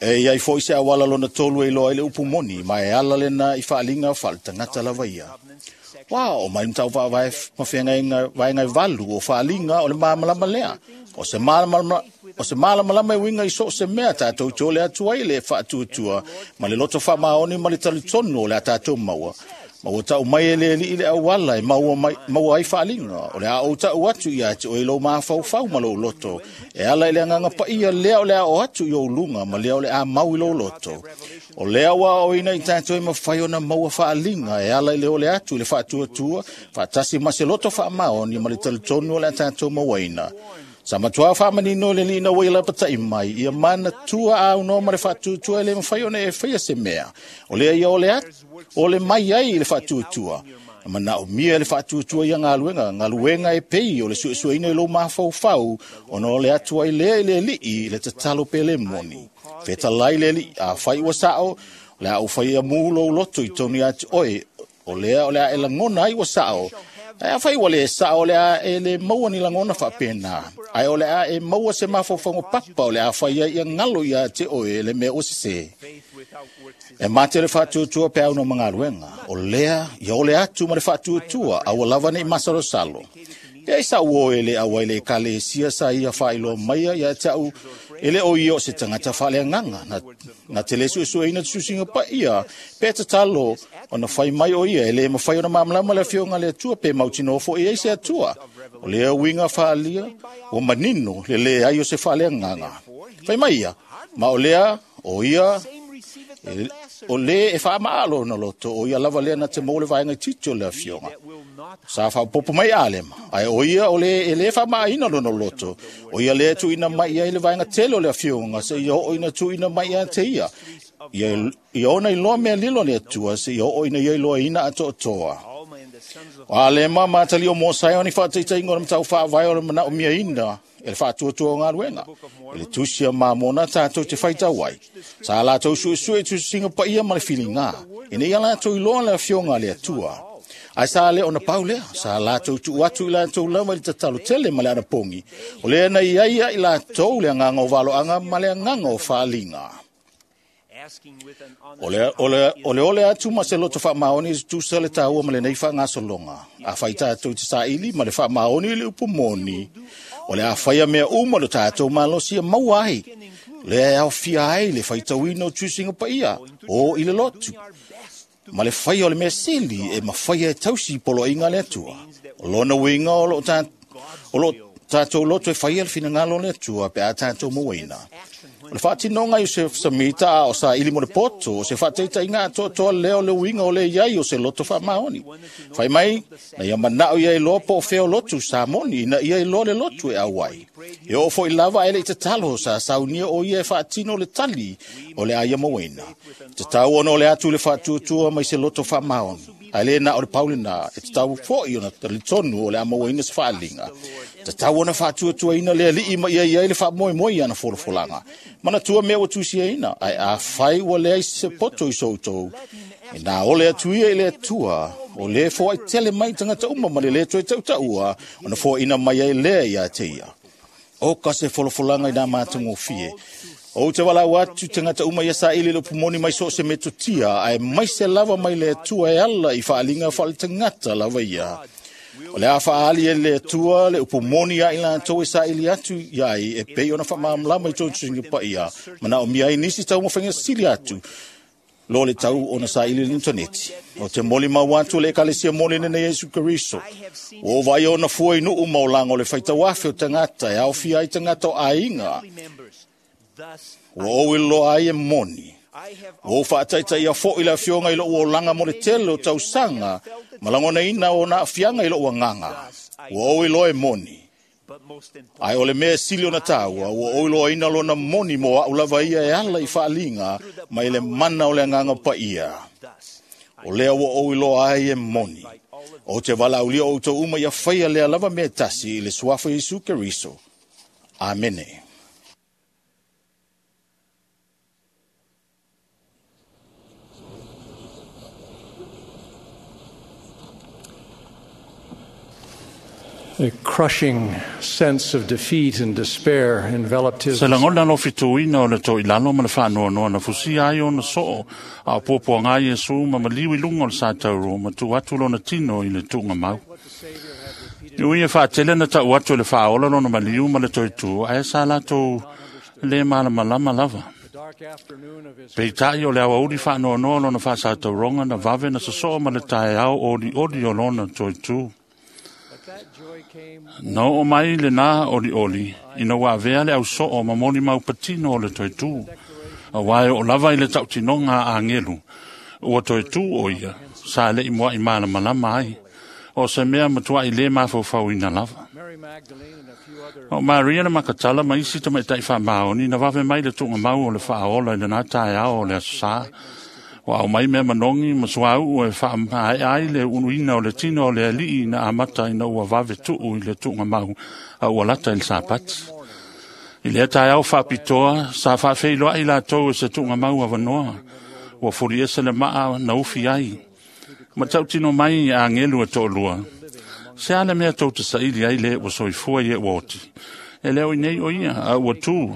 e iai foi se awala lona tolu e iloa i le upu moni, ma e ala lena i whaalinga o tangata lava ia. Wa o mai mtau vae mawhenga vaenga valu o whaalinga o le māmalama lea. O se mālamalama e winga i so se mea tātou te ole atu ai le whaatuatua, ma le loto whaamaoni ma le talitonu o le a tātou maua. Ma ua tau mai e le alii le auala e maua ai whaalinga, o le a o tau atu ia te oe lo mafaufau ma lou loto. E ala i le anganga paia lea o le a o atu i o lunga ma lea o le a mau i lou loto. O lea ua o ina i tātou e mawhai ona maua whaalinga e ala i le ole atu i le whaatuatua, whaatasi ma se loto whaamaoni ma le talitonu o le a tātou mauaina. Sa matua whaamanino le lina wai lapatai mai, ia mana tua au no ma le whaatuatua e le mawhai ona e whaia se mea. O lea ia ole atu, o le mai ai i le whaatuatua. Mana o mia le whaatuatua ia ngaluenga, ngaluenga e pei o le suesueina i lo mafaufau, ona o le atu ai lea i le alii le tatalo pe le moni. Fetalai le alii, a whai ua sao, le a u whai a mūlo loto i tonu atu oe, o lea o le a e langona ai ua sao. Ai a whai wale sao le a e le maua ni langona whapena. Ai o le a e maua se mafaufauga papa o le a whai ai ia ngalo ia te oe le mea o sese. E mate le whaatuatua pe au no mangaluenga. O lea, ia ole atu ma le whaatuatua, aua lava nei masalosalo. Ia isa uo e le aua i le kalesia sa ia whailoa maia ia tau e le o ia o se tangata whalea nganga. Na te le suesue ina tusinga pa ia, pe tatalo ona whai mai o ia e le mawhai ona mamalama le afioga le atua pe mautino fo e se atua. O lea winga whaalia, o manino le le ai o se whalea nganga. Whai mai ia, ma o lea o ia, o le e whaamaalo na loto, o ia lava lea na te mole vaenga titi o le afioga. Sa whapopo mai alema, ai o ia o le e le whaamaaina lona loto, o ia le tuina mai ia i le vaenga tele o le afioga, se ia o ina tuina mai ia te ia. Ia ona iloa mea lilo le atua, se ia o ina ia iloa ina atoatoa. O alema mātali o Mōsai o ni whaataitaiga o le matau whaavae o le manao mia ina e le whaatuatua o ngaluenga. E le tusia māmona tātou te whaitau ai. Sa lātou suesue tusinga paia ma le whilinga. E nei a lātou iloa le afioga le atua. Ai sa le ona pau lea, sa lātou tuu atu i lātou lava i le tatalo tele ma le anapongi. O lea na iai ai lātou le anganga o valoanga ma le anganga o whaalinga. O le ole atu ma se loto whaamaoni i tusa le tāua ma le nei whaangasolonga. A whai tātou te saili ma le whaamaoni i le upu moni. O le a whaia mea uma le tātou malosi a maua ai. Le a fia ai le whaitauina o tusinga paia o i le lotu. Ma le whaia o le mea sili e mawhaia e tausi polo inga le atua. O lona winga o lo tātou loto e whaia le whinangalo le atua pe a tātou mauaina. O le whaatinonga i se samita a o sa ili mo le poto, o se whaateita inga atoa leo le uinga o le iai o se loto whaamaoni. Whai mai, na ia manao ia i loa po o feo lotu sa moni, ina ia i loa le lotu e auai. E o fo i lava ele i te talo sa saunia o ia e whaatino le tali o le aia mawena. Te tau ono le atu le whaatuatua mai se loto whaamaoni. Ai le na o le paulina, e te tau foi ona talitonu o le amawaina se whaalinga. Te tau ona whaatuatua ina le alii ma ia ia i le whaamoemoe ana folafolanga. Mana tua mea ua tusia ina, ai a whai ua lea i se poto i soutou. E nā ole atu ia i le atua, o le fo ai tele mai tangata uma ma le le toe tautaua, ona fo ina mai ai lea ia te ia. O ka se folafolanga i nā mātangofie. O te walau atu tangata uma ia sa ili le pumoni mai so se metotia, ai mai se lava mai le atua e ala i whaalinga whaale tangata lava ia. O le a whaali e le atua le upumoni a i lātou e sa ili atu iai e pei ona whaamamlama i tō tusinga pa ia. Mana o mia i nisi tau mawhainga sili atu. Lo le tau ona sa ili l'interneti. O te moli mau atu le ekalesia moli nene Yesu Keriso. O vai ona fua i nuu maulanga o le whaitawafe o tangata e awhia ai tangata o ainga. Ua o iloa ai e moni. Ua whaataita ia fo i le afioga i lo ua olanga mo le tele o tausanga, malangona ina o na afianga i lo ua nganga. Ua o iloa e moni. Ae o le mea e sili ona tāua, ua oiloaina lona moni mo a'u lava ia e ala i faaliga mai le mana o le agaga paia. O lea ua ou iloa ai e moni. O te valaaulia outou uma ia faia lea lava mea e tasi i le suafa Iesu Keriso. Amene. A crushing sense of defeat and despair enveloped his Se lagona lo fituina o le toʻilalo ma le faanoanoa na fusia ai ona soo a o puapuaga Iesu ma maliu i luga o le satauro ma tuu atu lona tino i le tuugamau. I ui e faatele na taʻu atu e le faaola lona maliu ma le toetū, ae sa latou lē malamalama lava. Peitaʻi o le aoauli faanoanoa lona faasatauroga na vave na sosoo ma le taeao olioli o lona toetū. Na oo mai lenā olioli ina ua avea le ausoo ma molimau patino o le toetū, auā e oo lava i le tautinoga a agelu ua toetū o ia sa leʻi moaʻi malamalama ai, o se mea matuaʻi lē mafaufauina lava. O Maria le Makatala ma isi tamaitaʻi faamaoni na vave mai le tuugamau o le faaola i lenā taeao o le aso sā. Ua aumai mea manogi ma suauu e faamaea ai le uluina o le tino o le alii na amata ina ua vave tuu i le tuugamau a ua lata i le Sapati. I lea taeao faapitoa, sa faafeiloai latou e se tuugamau avanoa, ua fuliese le maa na ufi ai. Ma tautino mai agelu e toalua, se a le mea tou te saili ai le ua soifua i e ua oti. E leo i nei o ia, a ua tū.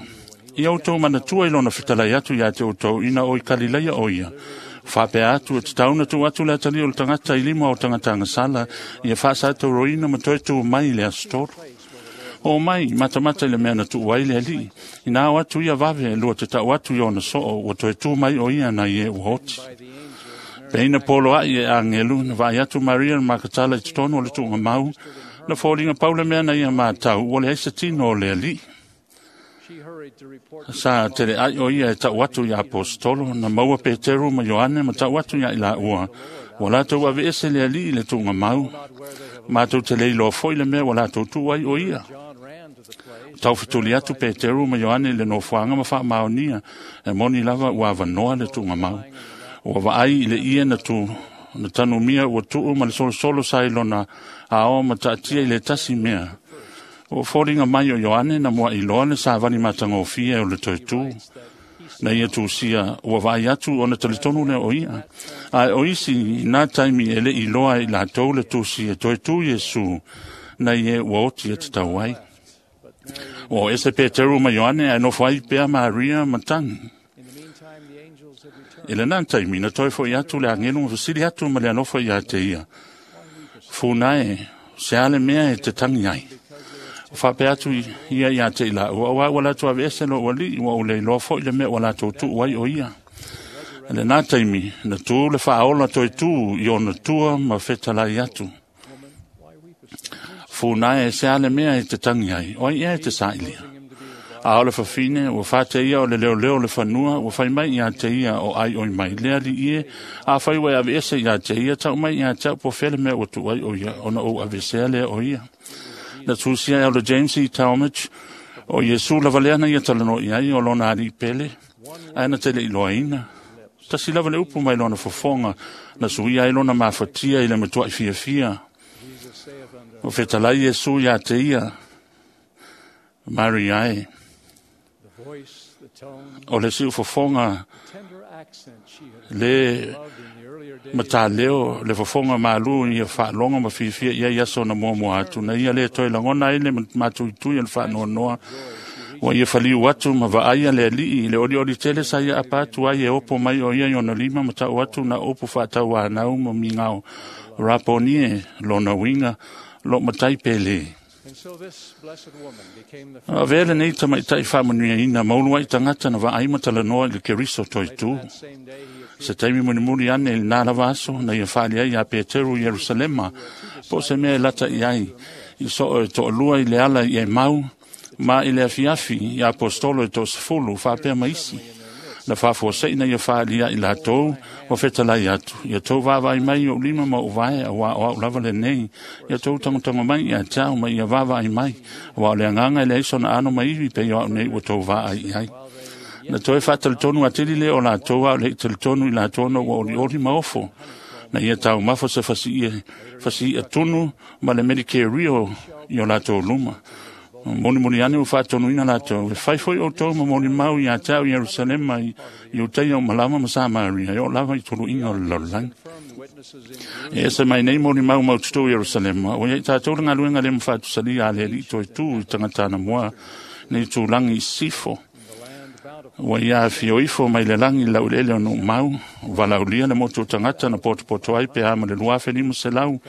Ia outou manatua i lona fetalai atu iā te outou ina o i Kalilaia o ia. Faapea atu e tatau na tuu atu le atalii o le tagata i lima o tagata agasala, ia faasatauroina ma toe tū mai i le aso tolu. O mai, matamata i le mea na tuu ai le alii. Ina o atu ia vave, lua te tau atu i ona soo, ua toe tū mai o ia na i e ua oti. Peina polo ai e angelu, na vaai atu Maria le Makatala i totonu o le tuugamau, na foliga pau le mea na ia matau, ua leai se tino o le alii. Sa teleai o ia e tau atu i apostolo, na maua Peteru ma Ioane ma tau atu ia i laua, ua latou aveese le alii i le tuugamau, matou te le iloa foi le mea ua latou tuu ai o ia. Taufetuli atu Peteru ma Ioane i le nofoaga ma faamaonia, e moni lava ua avanoa le tuugamau. Ua vaai i le ie na tu, na tanumia ua tuu ma le solosolo sa i lona aoa ma taatia i le tasi mea. Ua foliga mai o Ioane na muaʻiloa le savali matagofie o le toetū. Na ia tusia ua vaai atu ona talitonu lea o ia. Ae o isi i nā taimi e leʻi iloa ai i latou le tusi e toetū Iesu na ie ua oti e tatau ai. Ua o ese Peteru ma Ioane ae nofo ai pea Maria ma tagi. I lenā taimi na toe foʻi atu le agelu ma fesili atu ma le alofa iā te ia. Funa e, se a le mea e te tagi ai. O faapea atu ia iā te i laua, auā ua latou aveese lou alii, ua ou le iloa foʻi le mea ua latou tuu ai o ia. I lenā taimi, na tū le faaola toetū i ona tua ma fetalai atu. Funa e, se a le mea e te tagi ai, o ai ea e te sailia. A o le fafine, ua faateia o le leoleo o le fanua, ua fai mai iā te ia o ai oi mai. Le alii e, afai ua e aveese iā te ia, tau mai iā te au po fea le mea ua tuu ai o ia, ona ou avesea lea o ia. Na tusia e o le James E. Talmage, o Iesu lava lea na ia talanoa i ai o lona alii pele, ae na te le iloaina. Tasi lava le upu mai lona fofoga, na suia ai lona mafatia i le matuaʻi fiafia. O fetalai Iesu iā te ia, Maria e. O le siufofoga le mataleo le fofoga malu ia faalogo ma fiafia i ai aso na muamua atu na ia le toe lagona ai le matuitui o le faanoanoa ua ia faliu atu ma vaaia le alii i le olioli tele sa ia apa atu ai e opo mai o ia i ona lima ma tau atu na upu faatauanau ma migao raponie lona uiga lo matai pele. Avea lenei tamaitaʻi faamanuiaina maulu ai tagata na vaai ma talanoa i le Keriso toetū. Se taimi mulimuli ane i lenā lava aso na ia faali ai iā Peteru i Ierusalema, po o se mea e lata i ai, i soo e toalua i le ala i Emau, ma i le afiafi i apostolo e toasefulu faapea ma isi. Na faafuasei ia faaalia i latou ua fetalai atu, ia tou vaavaai mai i ou lima ma ou vae, auā o a'u lava lenei. Ia tou tagotago mai ia te a'u ma ia vaavaai mai, auā o le agaga e leai sona ano ma ivi pei o a'u nei ua tou vaai i ai. Na toe faatalitonu atili lea o latou a o le'i talitonu i latou ona ua olioli ma ofo. Na ia taumafa se fasii'a tunu ma le Medicare i o latou luma. Molimoli ane ua faatonuina latou, e fai foi outou ma molimau iā te a'u Ierusalema i Iutaia o malama ma Samaria, e oo lava i tuluiga o le lalolagi. E ese mai nei molimau maututu Ierusalema, ua iai tatou le galuega le mafatusalia a le Alii toe tū i tagata anamua nei tūlagi i sisifo. Ua ia afio ifo mai le lagi i laueleele o Nuumau, valaulia le motu o tagata na potopoto ai pe a ma le 2500,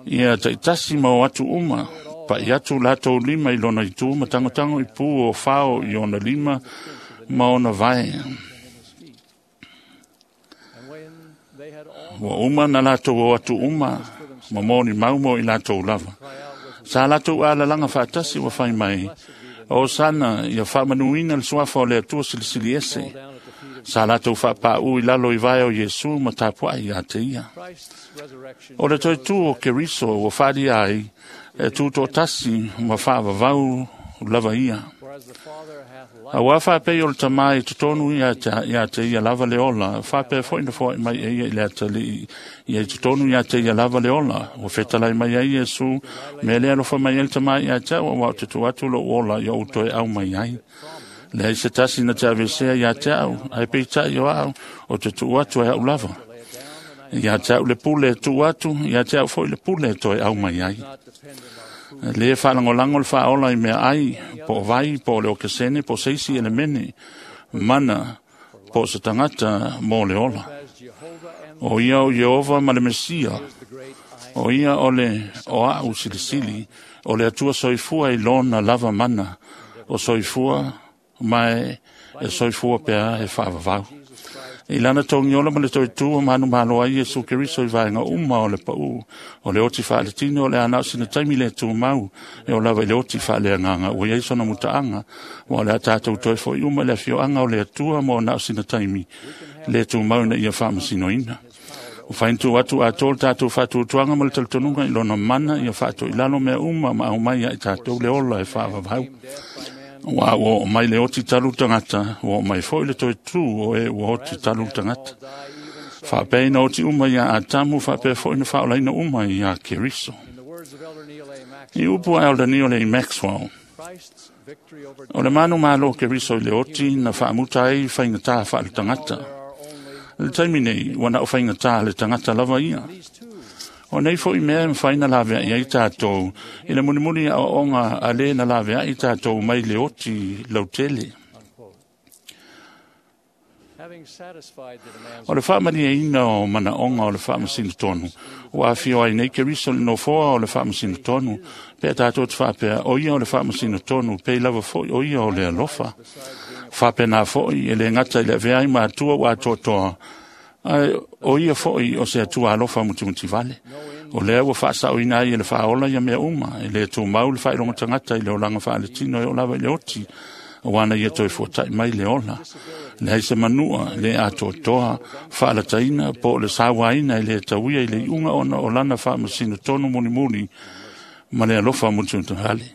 ia taitasi ma o atu uma, pa'i atu latou lima i lona itu ma tagotago i pū o fao i ona lima ma ona vae. Ua uma na latou o atu uma, ma molimau mo i latou lava. Sa latou alalaga faatasi ua fai mai, o sana ia faamanuina le suafa o le Atua Silisili Ese. Sa latou faapā'u i lalo i vae o Iesu ma tapua'i iā te ia. O le toe tū o Keriso ua faalia ai, e tuto'atasi ma faavavau lava ia. Auā faapei o le Tamā i totonu iā te ia lava le ola, faapea foi na foa'i mai e ia i le atalii ia i totonu iā te ia lava le ola. Ua fetalai mai ai Iesu, mea lea alofa mai ai le Tamā iā te a'u, auā ou te tuu atu lo'u ola ia ou toe au mai ai. Leai se tasi na te avesea iā te a'u, ae peita'i o a'u o te tuu atu e a'u lava. Iā te a'u le pule e tuu atu, iā te a'u foi le pule e toe au mai ai. Lē faalagolago le faaola i mea ai, po o vai, po o le okesene, po o se isi elemene, mana, po o se tagata mo le ola. O ia o Ieova ma le Mesia, o ia o le o a'u silisili, o le Atua soifua i lona lava mana, o soifua ma e soifua pea e faavavau. I lana togiola ma le toe tū o manumalo ai Iesu Keriso i vaega uma o le pa'ū, o le oti faaletino o le ana o sina taimi le tumau, e o lava i le oti faaleagaga ua iai sona mutaaga, ua o le a tatou toe fo'i uma i le afioaga o le Atua mo na o sina taimi le tumau ina ia faamasinoina. Ua fainitu atu atoa le tatou faatuatuaga ma le talitonuga i lona mana ia faatoilalo mea uma ma aumai ia i tatou le ola e faavavau. Ua ua oo mai le oti talu tagata, ua oo mai foi le toe tū o e ua oti talu tagata. Faapea ina oti uma iā Atamu, faapea foi na faaolaina uma iā Keriso. I upu a Elder Neal A. Maxwell, o le manumalo o Keriso i le oti na faamuta ai faigatā faaletagata. I le taimi nei, ua na o faigatā le tagata lava ia. O nei foi mea e mafai na lavea'i ai tatou i le mulimuli aoaoga a lē na lavea'i tatou mai le oti lautele. O le faamalieina o manaoga o le faamasino tonu, ua afio ai nei Keriso i le nofoa o le faamasino tonu, pe a tatou te faapea, o ia o le faamasino tonu, pei lava foi o ia o le alofa. Faapena foi e lē gata i le avea ai ma Atua ua atoatoa, ae o ia foi o se Atua alofa mutimutivale. O lea ua faasaoina ai e le faaola ia mea uma, e lē tumau le faailoga tagata i le olaga faaletino e oo lava i le oti, auā na ia toe fuata'i mai le ola. Leai se manua, le atoatoa, faalataina, po o le sauaina e lē tauia i le iuga ona o lana faamasino tonu mulimuli ma le alofa mutimutivale.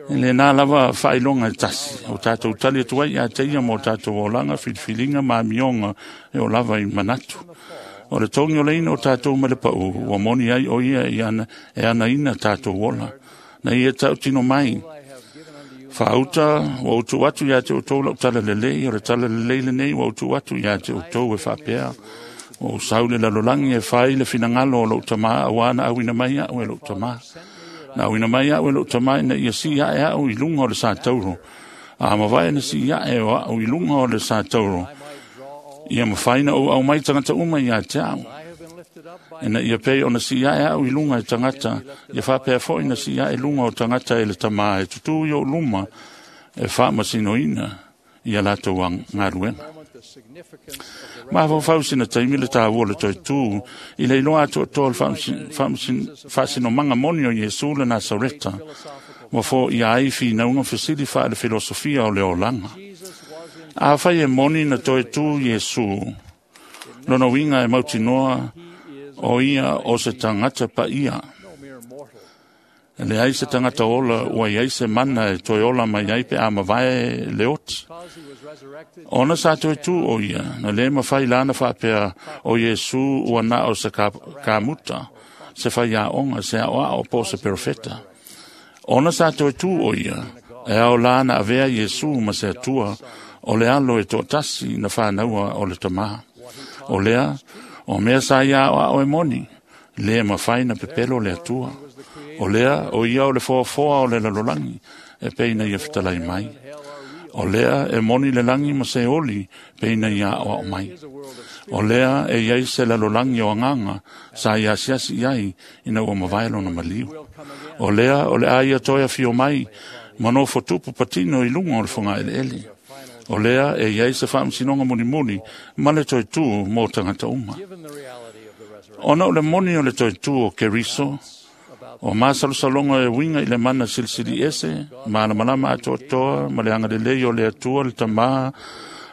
I lenā lava faailoga e tasi, o tatou tali atu ai ia te ia mo tatou olaga, filifiliga ma amioga e oo lava i manatu. O le togi oleina o tatou mai le pa'ū, ua moni ai o ia e anaina tatou ola. Na ia tautino mai, faauta ua ou tuu atu iā te outou lau tala lelei, o le tala lelei lenei ua ou tuu atu iā te outou e faapea. Ua ou sau i le lalolagi e fai le finagalo o lou Tamā, auā na auina mai a'u e lou Tamā. Na auina mai a'u e lou Tamā ina ia sii a'e a'u i luga o le satauro. A mavae na sii a'e o a'u i luga o le satauro, ia mafai na ou aumai tagata uma iā te a'u. Ina ia pei ona sii a'e a'u i luga e tagata, ia faapea foi na sii a'e luga o tagata e le Tamā e tutū i o'u luma e faamasinoina ia latou galuega. Mafaufau sina taimi le tāua o le toe tū i le iloa atoatoa o le faasinomaga moni o Iesu le Nasareta, ua foia ai finauga fesili faale filosofia o le olaga. Afai e moni na toe tu Iesu, lona uiga e mautinoa o ia o se tagata paia. E leai se tagata ola ua iai se mana e toe ola mai ai pe a mavae le oti. Ona sa toe tu o ia, na le mawhai lana whaapea o Iesu ua na o se kamuta, se whaiaonga, se ao po se perofeta. Ona sa toe tu o ia, e ao lana avea Iesu ma se atua, o le alo e toatasi na whānaua o le tamā. O lea, o mea sa ia ao e moni, le mawhai na pepelo le atua. O lea, o ia o le foafoa o le lalolagi, e peina ia fitalai mai. O lea e moni le langi ma se oli, peina ia ao mai. O lea e iai se lalolagi o anganga, sa ia asiasi iai, ina ua mavae lona maliu. O lea o le aia toe afio mai, manofo tupu patino i lunga o le whanga ele ele. O lea e iai se whaamsinoga mulimuli, ma le toe tu mō tangata uma. Ona o le moni o le toe tu o Keriso, o masalosaloga e uiga i le mana silisili ese, malamalama atoatoa ma le agalelei o le Atua le Tamā,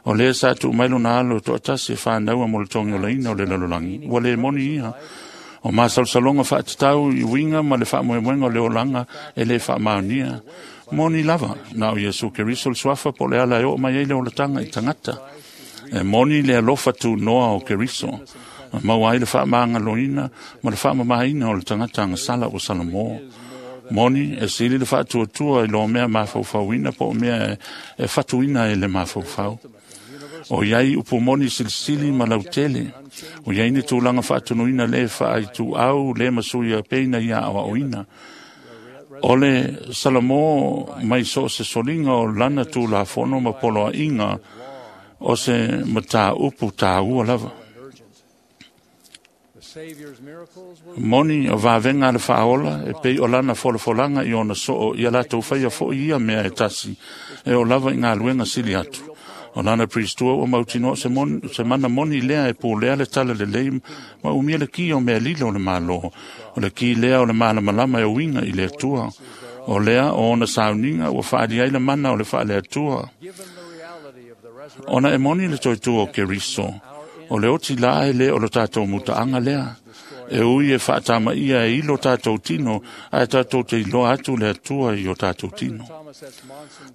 o lea sa tuu mai lona alo e toatasi e fānaua mo le togiolaina o le lalolagi, ua lē moni ia. O masalosaloga faatatau i uiga ma le faamoemoega o le olaga e lē faamaonia. Moni lava, na o Iesu Keriso le suafa po o le ala e oo mai ai le olataga i tagata. E moni le alofa tunoa o Keriso, maua ai le faamagaloina ma le faamamaina o le tagata agasala ua Salamo. Moni e sili le faatuatua i loa mea mafaufauina po o mea e fatuina e le mafaufau. O iai upu moni silisili ma lautele. O iai ni tulaga faatunuina le faaituau le masuia peina ia aoaoina. O le Salamo mai so se soliga o lana tulafono ma poloaiga o se mataupu tāua lava. Moni o vavenga le whaola, e pei o lana folafolaga i ona soo, ia latou faia fo'i ia mea e tasi, e o lava i ngā luenga sili atu. O lana pristua ua mautinoa se, se mana moni lea e pōlea le tala lelei ma umia le ki o mea lilo o le malo. O le ki lea o le malamalama e uiga i le Atua. O lea o ona sauniga ua whaali ai le mana o le whaale Atua. Ona e moni le toitua o Keriso, o le oti la e le o lo tātou mutaanga lea. E ui e whaatama ia e ilo tātou tino, a e tātou te iloa atu le atua i o tātou tino.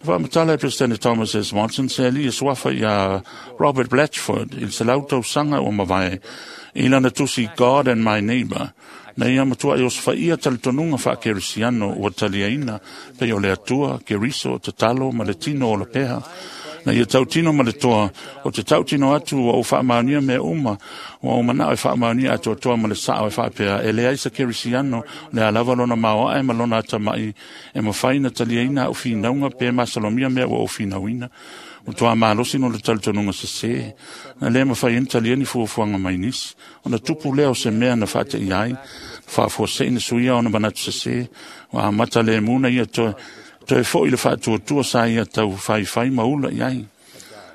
Whaamatala e President Thomas S. Monson se ali e suafa ia Robert Blatchford i se lautau sanga o mavae i lana tusi God and My Neighbor. Na ia matua e osfa ia talitonunga wha kerisiano ua taliaina pe o le atua, keriso, tatalo ma le tino o le peha. Na ia tautino ma le toa, o te tautino atu o whaamaunia mea uma, o mana o whaamaunia atu toa ma le sao e whaapea, e le aisa kerisiano, le alava lona maoa e ma lona atamai, e mawhaina taliaina au whinaunga pe masalomia mea ua o whinauina. O toa malosi no le talitonunga se se, na le mawhai en taliani fuafuanga mai nisi, o na tupu leo se mea na whaate i ai, whaafuase ina suia o na manatu se se, o a mata le muna ia toe, toe foi le faatuatua sa ia tau whaiwhai maula i ai.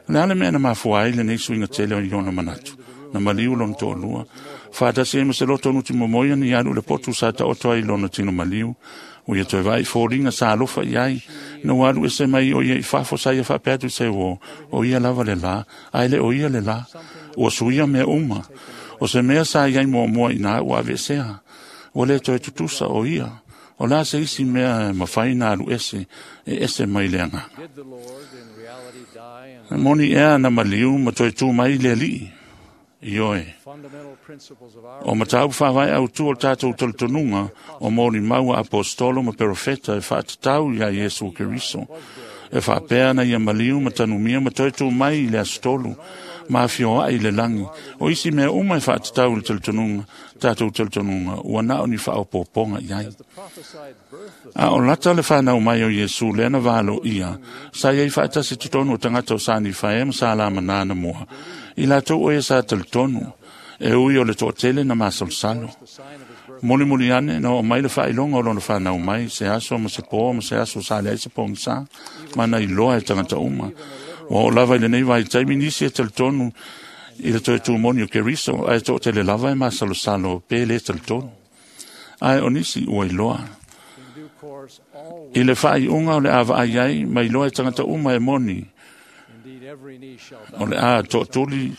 Le ale mea na mafua ai le nei suiga tele o i ona manatu. Na maliu lona toalua. Whaatasi e ma se loto nuti momoia ni alu le potu sa ta oto ai lona tino maliu. O ia toe vai fōringa sa alofa i ai. Na walu e se mai o ia i fafo sa ia whaapeatu se o. O ia lava le la. Ai le o ia le la. Ua suia mea uma. O se mea sa iai mua mua i nā ua avesea. Ua le toe tutusa o ia. O la se isi mea e mawhai nā alu ese, e ese mai le anganga. Moni ea na maliu ma toe tū mai le alii. Ioe. O matau whawai au tu o tātou talitonunga o mōri maua apostolo ma perofeta e whaatatau ia Iesu Keriso. E whaapea na ia maliu ma tanumia ma toe tū mai i le astolu ma whioa i le langi. O isi mea uma e whaatatau le talitonunga, tātou talitonunga, ua nao ni whaopoponga i ai. A o lata le whanau mai o Iesu le ana valo ia, sa iai whaatasi totonu o tangata o sani whae ma sa la manana mua. I lātou o e sa talitonu, e ui o le toatele na masalosalo. Moli moli ane, na o mai le whailonga o lona whanau mai, se aso ma se pō, ma se aso sa le ai se pongsa, mana i loa e tangata uma. Ua o lava i lenei vai taimi nisi e talitonu i le toe tūmoni o Keriso, ae toatele lava e masalosalo pe le talitonu. Ae o nisi ua iloa. I le whaaiunga o le awa ai ai, mai loa e tangata uma e moni. O le a toʻatuli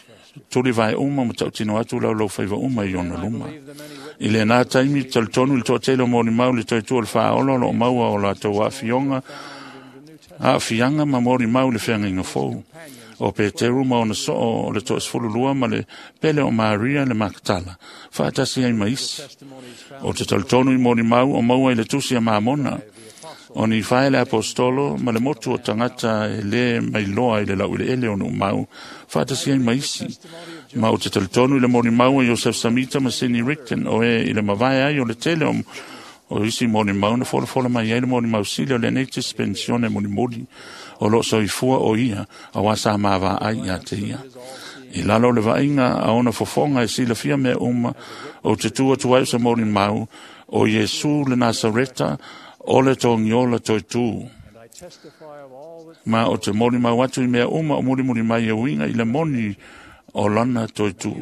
tuli vae uma ma taʻutino atu laulaufaivā uma i ona luma. I lenā taimi talitonu i le toʻatele o molimau le toetua o le faaola o loo maua o latou aafiaga ma molimau i le feagaiga fou. O Peteru ma ona soo o le 12 ma le pele o Maria le Makatala, faatasi ai ma isi. O te talitonu i molimau o maua i le tusi a Mamona, o ni fae le apostolo ma le motu o tagata e lē mailoa i le laueleele o nuumau, faatasi ai ma isi. Ma o te talitonu i le molimau a Iosef Samita ma Sidney Rigdon o e i le mavae ai o le tele o isi molimau na folafola mai ai le molimau sili o lenei dispensione mulimuli o loo soifua o ia auā sa mavaai iā te ia. I lalo o le vaaiga a ona fofoga e silafia mea uma o te tu atu ai o se molimau o Iesu le Nasareta o le togiola toetū. Ma o te molimau atu i mea uma o mulimuli mai e uiga i le moni o lana toetū.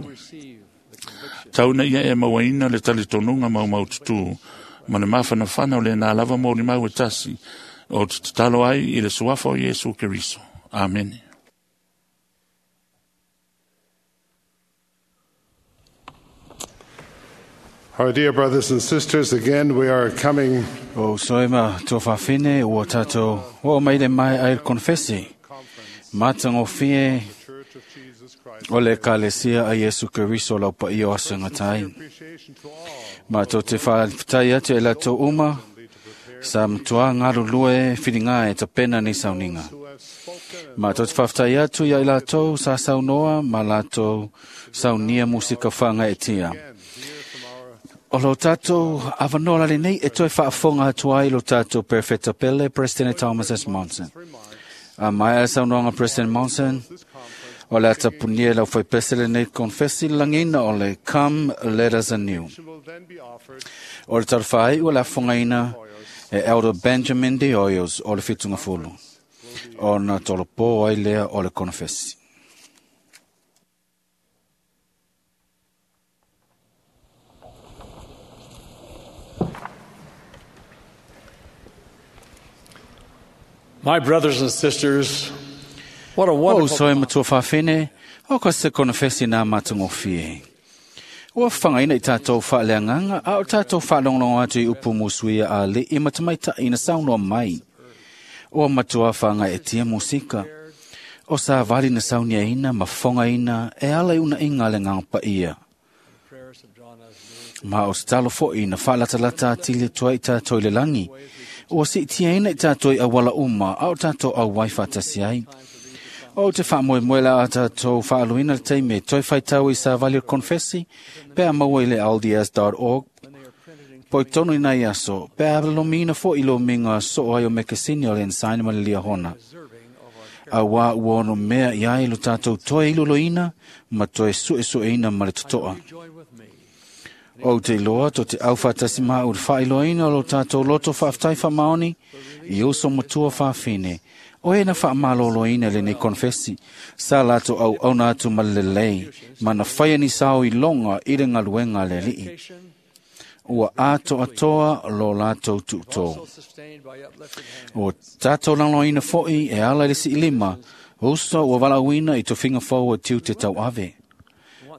Tau ina ia e mauaina le talitonuga maumaututū ma le mafanafana o lenā lava molimau e tasi o te tatalo ai i le suafa o Iesu Keriso. Amene. Our dear brothers and sisters, again we are coming O soema tō whawhine ua tātou o mai le mai ai konfesi. Matangofie o le kalesia a Iesu Keriso lau pa iyo asangatai. Mātou te whawhitai atu e latou uma, sa matua ngarulue whiringa e tapena ni sauninga. Mātou te whawhitai atu ia i latou sa saunoa ma latou saunia musika whanga e tia. O lo tātou awanola le nei e toi whaafonga atu ai lo tātou Perfecta Pele, President Thomas S. Monson. A mai a saunoanga President Monson, o le atapunia lau whai pese le nei konfesi langina o le Come Let Us Anew. O le tarwhai ua la whangaina e Elder Benjamin De Hoyos o le whitunga fulu. O na tolopo ai lea o le konfesi. My brothers and sisters, what a O wonderful soe matua whawhine, o ka se konfesi nā matangofie. Ua whangaina i tātou whaaleanganga, a o tātou whaalonglongo atu i upu musuia a le i matamaita ina saunoa mai. O matua whanga e tia musika. O sa wali na saunia ina, ma whonga ina, e ala i una inga le nganga pa ia. Ma o talo fo ina whaalatalata atili tua i tātou i le langi. Ua si tia ina i tātou i awala uma, a o tātou au waifa tasi ai. O te whaamoemoe la a tātou whaaluina le teime, toi whaitau i sa vali o konfesi, pea maua i le lds.org, poi tonu i nei aso, pea lomina fo i lo minga so ai o mekesini o le ensaina ma le liahona. A wā ua ono mea i ai lo tātou toi iloloina, ma toi sue sueina ma le totoa. O te loa to te au whaatasi maa ur whailoina lo tātou loto whaaftai whamaoni, i uso matua whaafine. O e na whaamaloloina le nei konfesi, sa lato au auna atu ma le lei, mana whaia ni sao i longa i le ngaluenga le lii. Ua ato atoa lo latou tu'utō. O tātou langloina fo'i e ala i le si'ilima, uso ua valauina i tofiga fou o tiu te tauave.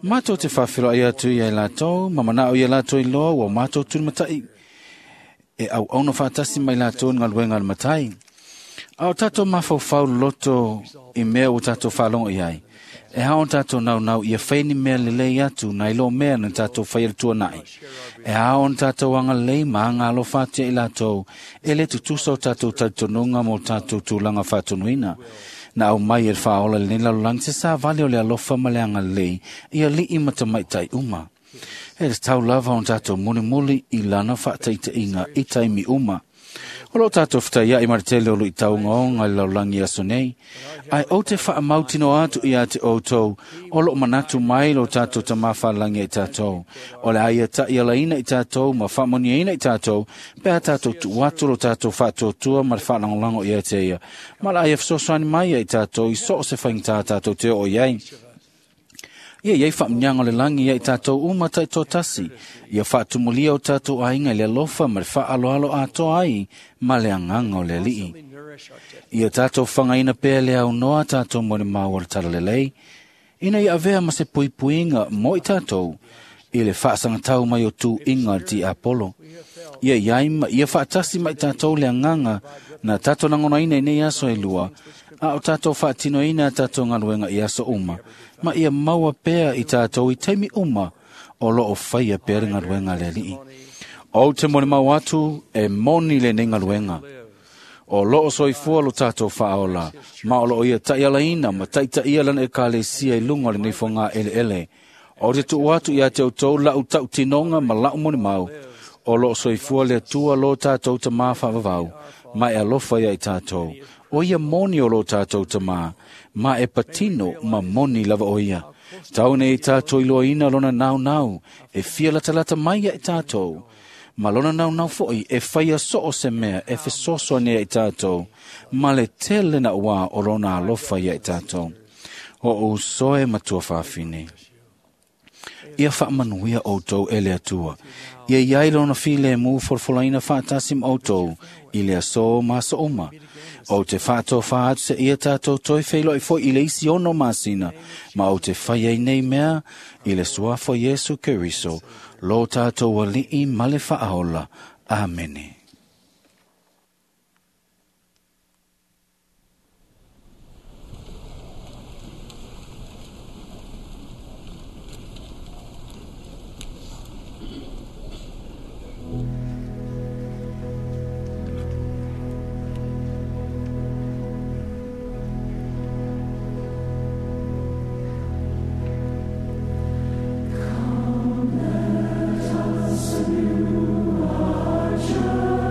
Mātou te whawhilo ai atu i ai lātou, ma manao i a lātou i loa, ua mātou tūmatai. E au auna whaatasi mai lātou ngaluenga le matai. A o tātou mawhauwhau loto i mea o tātou whalongo i ai. E hao tātou nau nau ia whaini mea le lei atu na ilo mea na tātou whai tua nai. E hao tātou anga lei ma anga alo whātia i lātou e le tutusa o tātou tautonunga mo tātou tūlanga whātonuina. Na au mai e whaola le nila lang te sa vale o le alofa ma le anga lei i a lii matamaitai uma. E le tau lava o tātou mulimuli i lana whaataita inga i taimi uma. O lo tātou whitai i maritele o lo i taunga o ngai laulangi aso nei. Ai o te whaamautino atu i a te outou, o lo manatu mai lo tātou tamawhalangi i tātou. O le aia ta i alaina i tātou, ma whaamoniaina i tātou, pea tātou tuatu lo tātou whaatuatua ma le whaalangolango i a te ia. Ma la aia whasoswani mai i tātou i so o se whaingtā tātou te o iai. Ia iai faamanuiaga o le lagi ia i tatou uma taitoatasi, ia faatumulia o tatou aiga i le alofa ma le faaaloalo atoa ai ma le agaga o le Alii. Ia tatou fagaina pea le aunoa tatou molimau o le talalelei, ina ia avea ma se puipuiga mo i tatou i le faasagatau mai o tuuiga o le tiapolo. Ia iai ma ia faatasi ma i tatou le agaga na tatou lagonaina i nei aso e lua, a o tatou faatinoina a tatou galuega i aso uma, ma ia maua pea i tatou i taimi uma o loo faia pea le galuega a le Alii. Ou te molimau atu e moni lenei galuega. O loo soifua lo tatou faaola, ma o loo ia taialaina ma taitaia lana ekalesia i luga o lenei fogaeleele. O te tuu atu ia te outou lau tautinoga ma lau molimau, o loo soifua le Atua lo tatou tamā faavavau, ma e alofa ia i tatou. O ia moni o lo tatou tamā, ma e patino ma moni lava o ia. Tau nei tatou iloaina lona naunau, e fia latalata mai ia i tatou. Ma lona naunau foi e faia so o se mea e fesoasoani ai i tatou, ma le tele na ua o lona alofa ia i tatou. O uso e matua faafine. Ia faamanuia outou e le Atua. Ia iai lona filemu folafolaina faatasi ma outou i le aso ma aso uma. Ou te faatofā atu se ia tatou toe feiloai foi i le isi 6 masina, ma ou te fai ai nei mea i le suafa o Iesu Keriso, lo tatou Alii ma le Faaola. Amene. Come, let us renew our journey.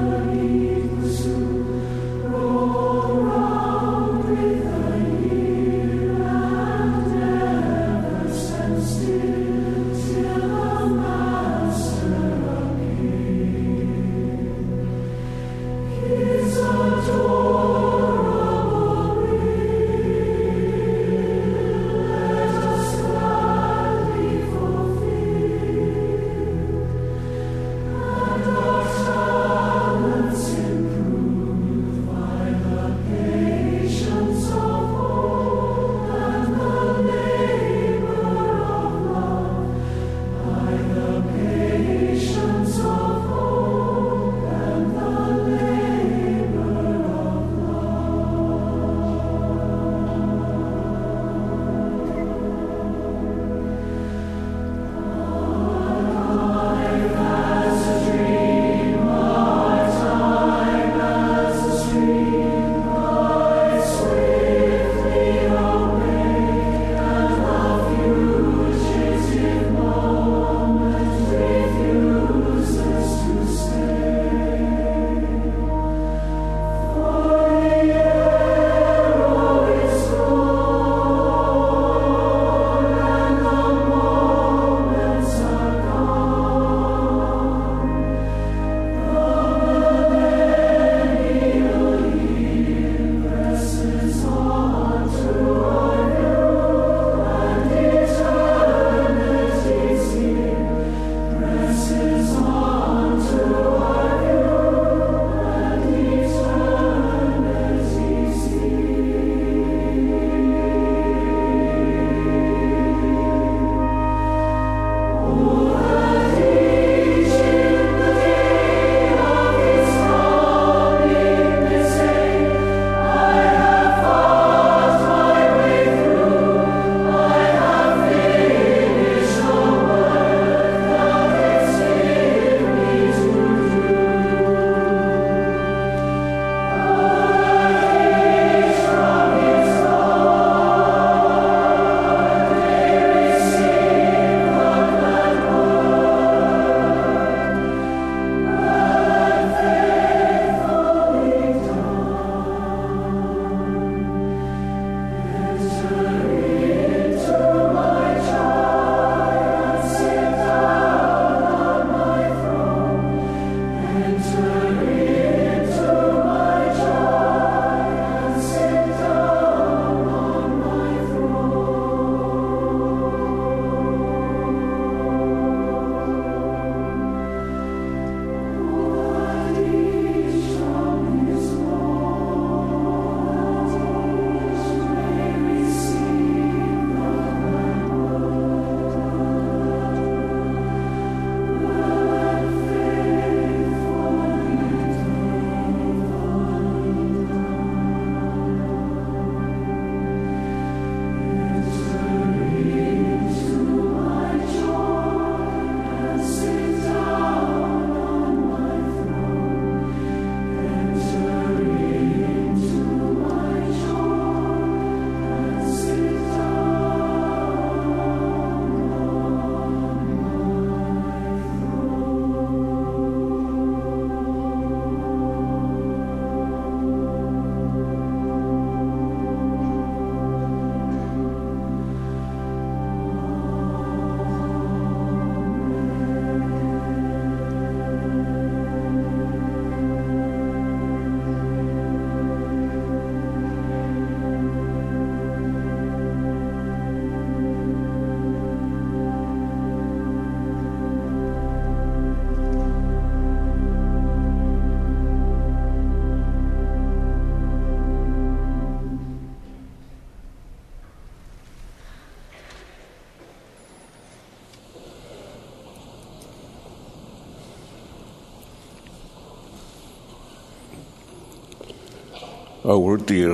Our dear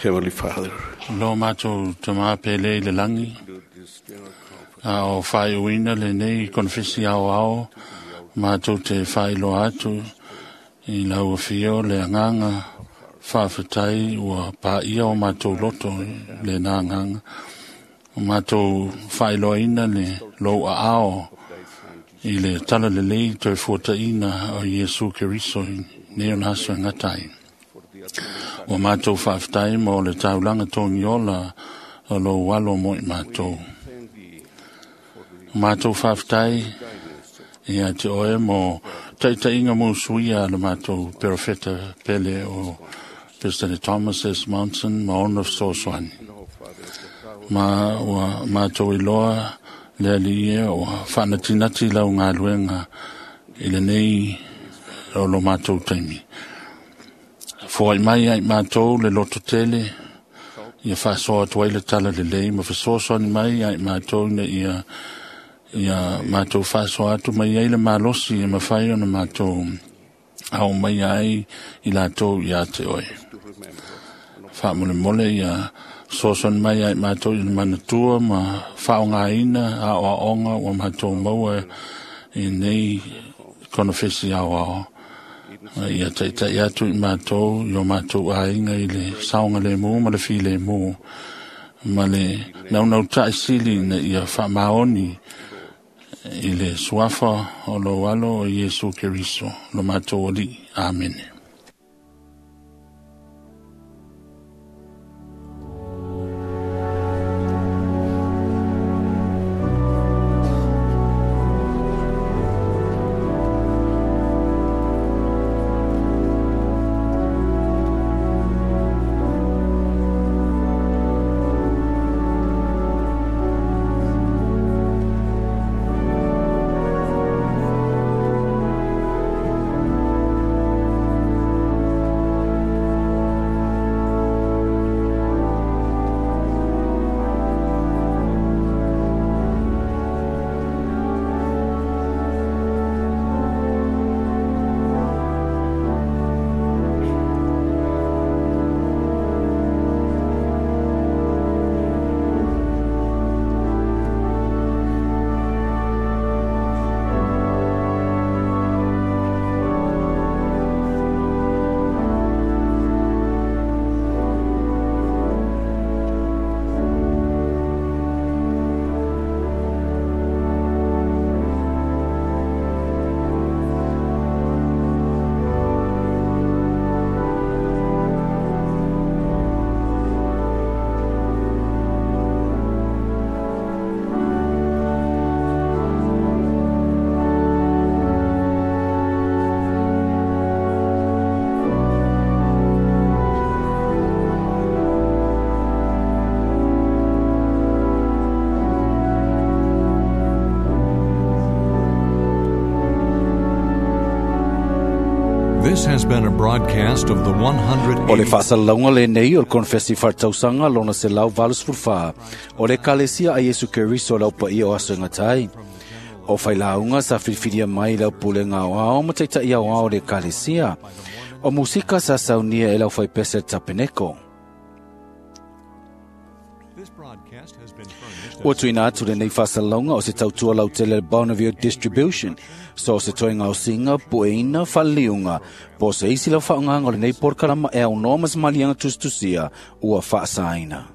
Heavenly Father, Lo mātou tamā pele i le langi, a o whaiuina le nei konfesi ao ao, mātou te whailoa atu i lau whio le anganga whawhetai ua pā ia o mātou loto le nā anganga. O mātou whailoaina le lou a ao i le tala lelei toe fuataina o Iesu Keriso i nei o naso e ngatai. Ua mātou whawhetai mo le taulanga tongi ola o lo walo mo i mātou. Mātou whawhetai ia te oe mo taitainga mo suia le mātou perofeta pele o President Thomas S. Monson ma ona fesoasoani. Ma ua mātou iloa le ali e ua whaanatinati lau ngā i le nei o lo mātou taimi. Foai mai ai mātou le loto tele, ia whaasoa atu ai le tala lelei, ma fesoasoani mai ai mātou ina ia ia mātou whaasoa atu mai ai le malosi e mawhai ona mātou au mai ai i lātou ia te oe. Whaamole ia soasoani mai ai mātou i le manatua ma whaongaina a o aonga ua mātou maua i nei konofesi ao ao. Ia taitai atu i mātou, i o mātou āinga i le saonga le mū ma le fi le mū. Ma le naunau tai sili na ia whaamaoni i le suafa o lo alo o Iesu Keriso, lo mātou ali. Amen. This has been a broadcast of the 100. O le faasalalauga lenei o le konefesi faaletausaga lona 184 o le Ekalesia a Iesu Keriso le aupaia o aso e gata ai. O failauga sa filifilia mai le aupulega aoao ma taitaʻi aoao o le Ekalesia. O musika sa saunia e le aufaipese le tapeneko. Ua tuuina atu lenei faasalalauga o se tautua lautele le Bonneville Distribution, so o se toega osiga pueina faaliliuga po o se isi lau faaaogaga o lenei polokalama e aunoa ma se maliega tusitusia ua faasaina.